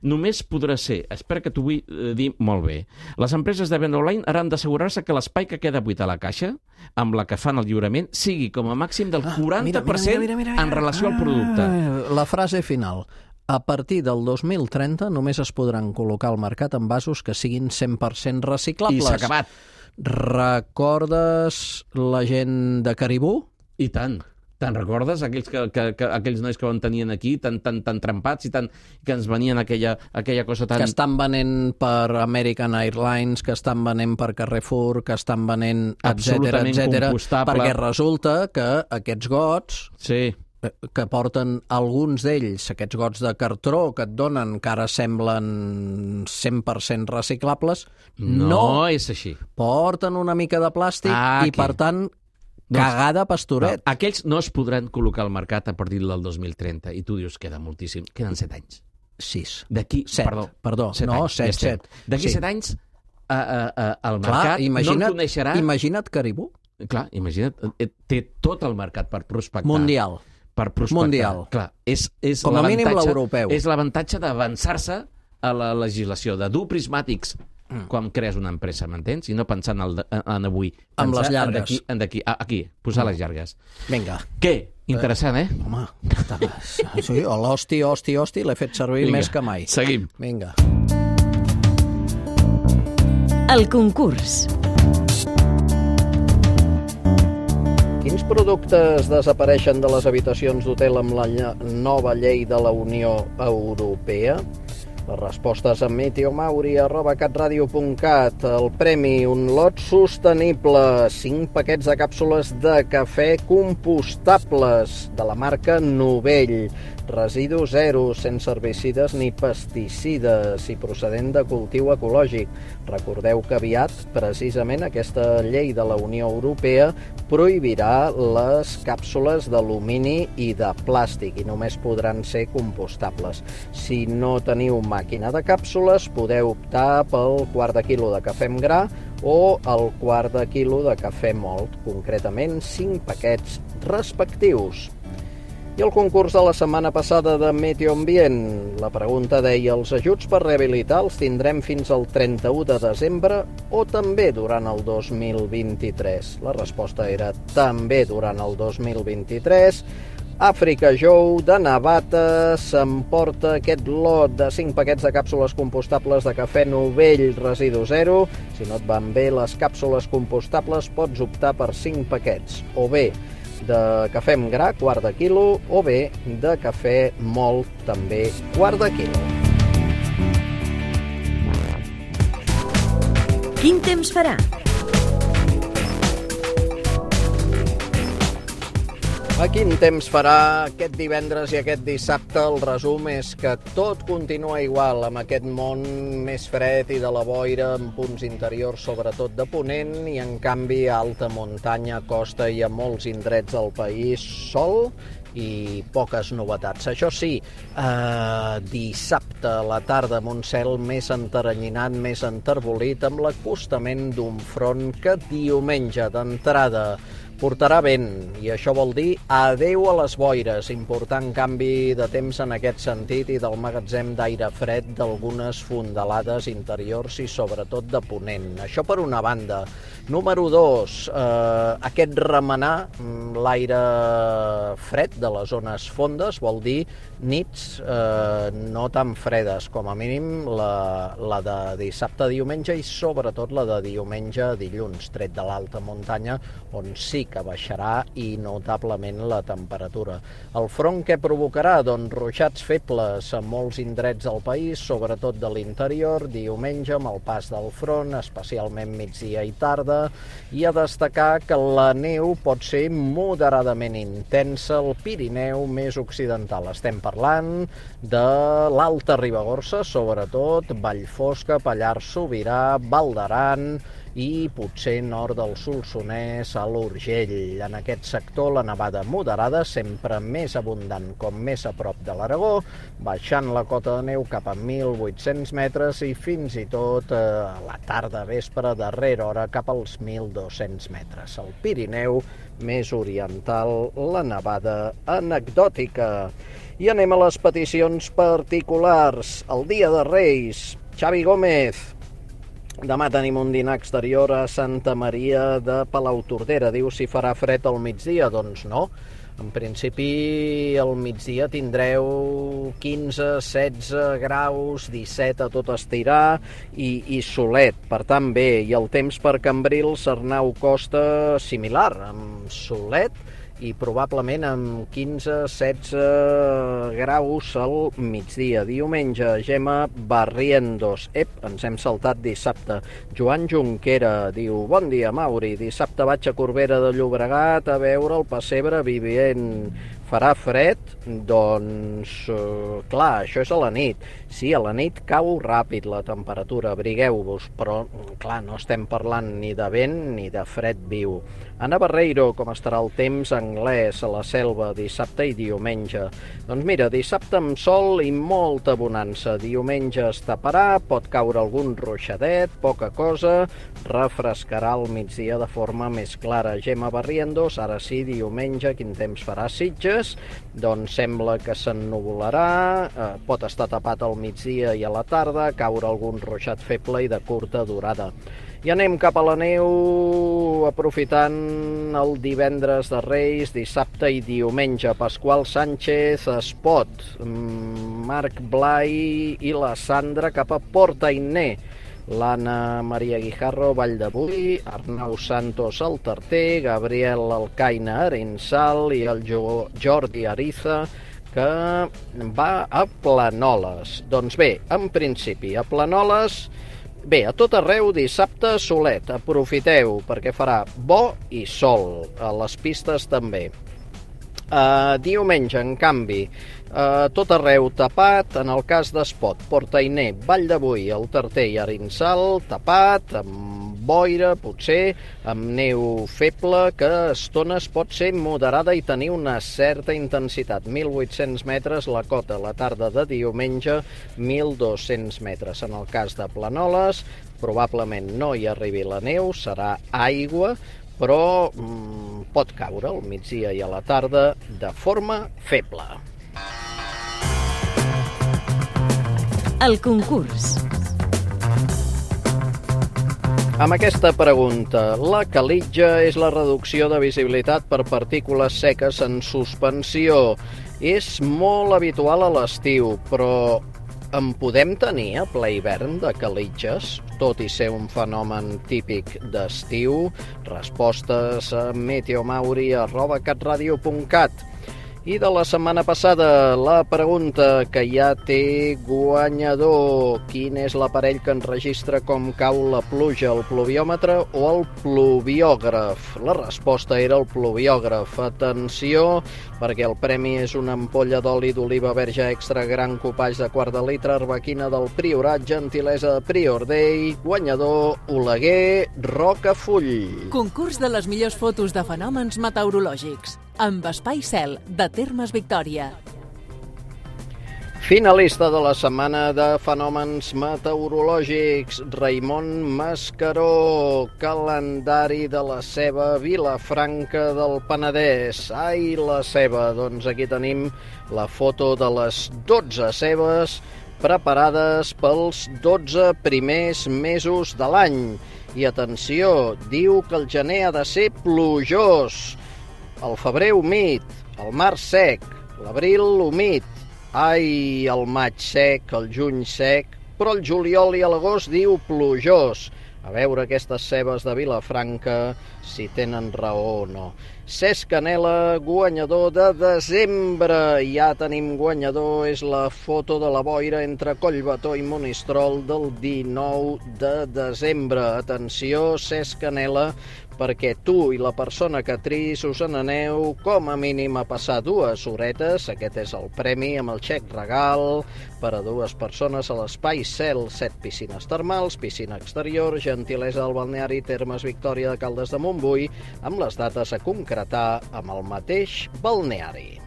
Només podrà ser, espera que t'ho vull dir molt bé, les empreses de venda online hauran d'assegurar-se que l'espai que queda buit a la caixa, amb la que fan el lliurament, sigui com a màxim del 40% en relació al producte. La frase final. A partir del 2030 només es podran col·locar al mercat envasos que siguin 100% reciclables. I s'ha acabat. Recordes la gent de Caribú? I tant. Te'n recordes? Aquells nois que van tenien aquí, tan trempats i que ens venien aquella cosa tan... Que estan venent per American Airlines, que estan venent per Carrefour, que estan venent, etcètera, perquè resulta que aquests gots... Sí. Que porten alguns d'ells, aquests gots de cartró que et donen, que ara semblen 100% reciclables, no és així. Porten una mica de plàstic i, per tant, cagada pastoret. Aquells no es podran col·locar al mercat a partir del 2030, i tu dius, queda moltíssim. Queden 7 anys. 6. D'aquí... 7, perdó. No, 7. D'aquí 7 anys, el mercat no el coneixerà... Imagina't Caribú. Clar, imagina't, té tot el mercat per prospectar. Mundial. Per prospectar. Mundial. Clar, és com a mínim l'europeu. És l'avantatge d'avançar-se a la legislació, de dur prismàtics quan crees una empresa, m'entens? I no pensant en avui. Amb les llargues. Aquí, posar les llargues. Vinga. Què? Interessant, Home, sí, l'hosti, l'he fet servir més que mai. Seguim. Vinga. El concurs. Quins productes desapareixen de les habitacions d'hotel amb la nova llei de la Unió Europea? Les respostes a meteomauri@catradio.cat. El premi, un lot sostenible, 5 paquets de càpsules de cafè compostables de la marca Novell. Residu zero, sense herbicides ni pesticides i procedent de cultiu ecològic. Recordeu que aviat, precisament, aquesta llei de la Unió Europea prohibirà les càpsules d'alumini i de plàstic i només podran ser compostables. Si no teniu màquina de càpsules, podeu optar pel quart de quilo de cafè amb gra o el quart de quilo de cafè mòlt, concretament 5 paquets respectius. I el concurs de la setmana passada de Meteo Ambient. La pregunta deia: els ajuts per rehabilitar els tindrem fins al 31 de desembre o també durant el 2023? La resposta era també durant el 2023. Àfrica Jou de Navata s'emporta aquest lot de 5 paquets de càpsules compostables de cafè Novell residu zero. Si no et van bé les càpsules compostables, pots optar per 5 paquets, o bé de cafè amb gra, quart de quilo, o bé de cafè mòlt, també quart de quilo. Quin temps farà? A quin temps farà aquest divendres i aquest dissabte? El resum és que tot continua igual, amb aquest món més fred i de la boira, en punts interiors, sobretot de ponent, i en canvi a alta muntanya, costa i a molts indrets del país, sol i poques novetats. Això sí, dissabte a la tarda amb un cel més enteranyinat, més enterbolit, amb l'acostament d'un front que diumenge d'entrada portarà vent, i això vol dir adeu a les boires. Important canvi de temps en aquest sentit i del magatzem d'aire fred d'algunes fondalades interiors i sobretot de ponent. Això per una banda. Número 2, aquest remenar l'aire fred de les zones fondes vol dir nits no tan fredes, com a mínim la de dissabte a diumenge i sobretot la de diumenge a dilluns, tret de l'alta muntanya, on sí que baixarà i notablement la temperatura. El front què provocarà? Doncs ruixats febles a molts indrets del país, sobretot de l'interior, diumenge amb el pas del front, especialment migdia i tarda, i a destacar que la neu pot ser moderadament intensa al Pirineu més occidental. Estem parlant de l'Alta Ribagorça, sobretot, Vallfosca, Pallars Sobirà, Val d'Aran i potser nord del Solsonès a l'Urgell. En aquest sector la nevada moderada, sempre més abundant com més a prop de l'Aragó, baixant la cota de neu cap a 1.800 metres i fins i tot a la tarda vespre, darrera hora, cap als 1.200 metres. Al Pirineu més oriental, la nevada anecdòtica. I anem a les peticions particulars. El dia de Reis, Xavi Gómez. Demà tenim un dinar exterior a Santa Maria de Palautordera. Diu si farà fred al migdia. Doncs no. En principi, al migdia tindreu 15, 16 graus, 17 a tot estirar i solet. Per tant, bé. I el temps per Cambrils, Arnau Costa, similar, amb solet i probablement amb 15-16 graus al migdia. Diumenge, Gemma Barrientos. Ens hem saltat dissabte. Joan Junquera diu: bon dia, Mauri. Dissabte vaig a Corbera de Llobregat a veure el pessebre vivent. Farà fred? Doncs, clar, això és a la nit. Sí, a la nit cau ràpid la temperatura, abrigueu-vos, però, clar, no estem parlant ni de vent ni de fred viu. Anna Barreiro, com estarà el temps anglès a la Selva dissabte i diumenge? Doncs mira, dissabte amb sol i molta bonança. Diumenge es taparà, pot caure algun ruixadet, poca cosa, refrescarà al migdia de forma més clara. Gemma Barrientos, ara sí, diumenge, quin temps farà a Sitges? Doncs sembla que s'ennuvolarà, pot estar tapat al migdia i a la tarda, caure algun ruixat feble i de curta durada. I anem cap a la neu, aprofitant el divendres de Reis, dissabte i diumenge. Pasqual Sánchez, Espot, Marc Blai i la Sandra cap a Portainer. L'Anna Maria Guijarro, Vall de Boí, Arnau Santos, el Tarter, Gabriel Alcaina, Arinsal i el Jordi Ariza que va a Planoles. Doncs bé, en principi, a Planoles, bé, a tot arreu dissabte solet, aprofiteu perquè farà bo i sol, a les pistes també. Diumenge, en canvi, tot arreu tapat, en el cas d'Espot, Portainer, Vall de Boí, el Tarter i Arinsal, tapat, amb boira, potser, amb neu feble, que a estones pot ser moderada i tenir una certa intensitat. 1.800 metres la cota, la tarda de diumenge, 1.200 metres. En el cas de Planoles, probablement no hi arribi la neu, serà aigua, però pot caure al migdia i a la tarda de forma feble. El concurs. Amb aquesta pregunta, la calitja és la reducció de visibilitat per partícules seques en suspensió. És molt habitual a l'estiu, però en podem tenir a ple hivern de calitges, tot i ser un fenomen típic d'estiu? Respostes a meteomauri@catradio.cat. I de la setmana passada, la pregunta que ja té guanyador. Quin és l'aparell que enregistra com cau la pluja, el pluviòmetre o el pluviògraf? La resposta era el pluviògraf. Atenció, perquè el premi és una ampolla d'oli d'oliva verge extra gran copatge de quart de litre, arbequina del Priorat, gentilesa de Prior Day, guanyador Oleguer Rocafull. Concurs de les millors fotos de fenòmens meteorològics amb Espai Cel, de Termes Victòria. Finalista de la setmana de fenòmens meteorològics, Raimon Mascaró, calendari de la ceba, Vilafranca del Penedès. Ai, la ceba! Doncs aquí tenim la foto de les 12 cebes preparades pels 12 primers mesos de l'any. I atenció, diu que el gener ha de ser plujós, el febrer humit, el març sec, l'abril humit, ai, el maig sec, el juny sec, però el juliol i l'agost diu plujós. A veure aquestes cebes de Vilafranca si tenen raó o no. Cesc Canela, guanyador de desembre. Ja tenim guanyador, és la foto de la boira entre Collbató i Monistrol del 19 de desembre. Atenció, Cesc Canela, perquè tu i la persona que triïs us n'aneu com a mínim a passar 2 horetes. Aquest és el premi amb el xec regal per a 2 persones a l'Espai Cel. 7 piscines termals, piscina exterior, gentilesa del balneari Termes Victòria de Caldes de Montbui, amb les dates a concretar amb el mateix balneari.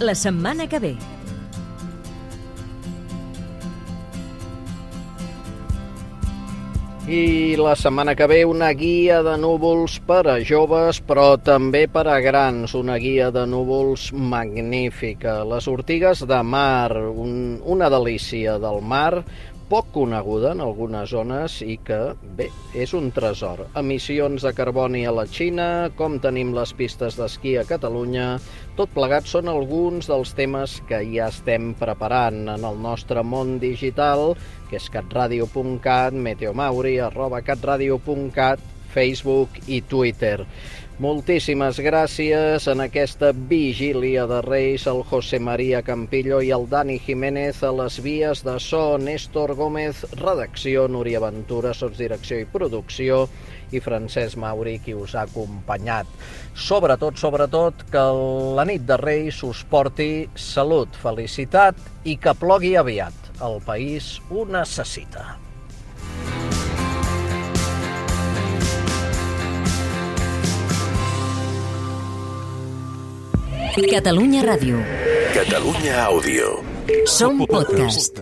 La setmana que ve. I la setmana que ve una guia de núvols per a joves, però també per a grans, una guia de núvols magnífica. Les ortigues de mar, una delícia del mar, poc coneguda en algunes zones i que, bé, és un tresor. Emissions de carboni a la Xina, com tenim les pistes d'esquí a Catalunya, tot plegat són alguns dels temes que ja estem preparant en el nostre món digital, que és catradio.cat, meteomauri@catradio.cat, Facebook i Twitter. Moltíssimes gràcies en aquesta vigília de Reis al José María Campillo i al Dani Jiménez a les vies de so, Néstor Gómez, redacció, Núria Ventura, sotsdirecció i producció, i Francesc Mauri, qui us ha acompanyat. Sobretot, que la nit de Reis us porti salut, felicitat i que plogui aviat. El país ho necessita. Catalunya Ràdio. Catalunya Àudio. Som podcast.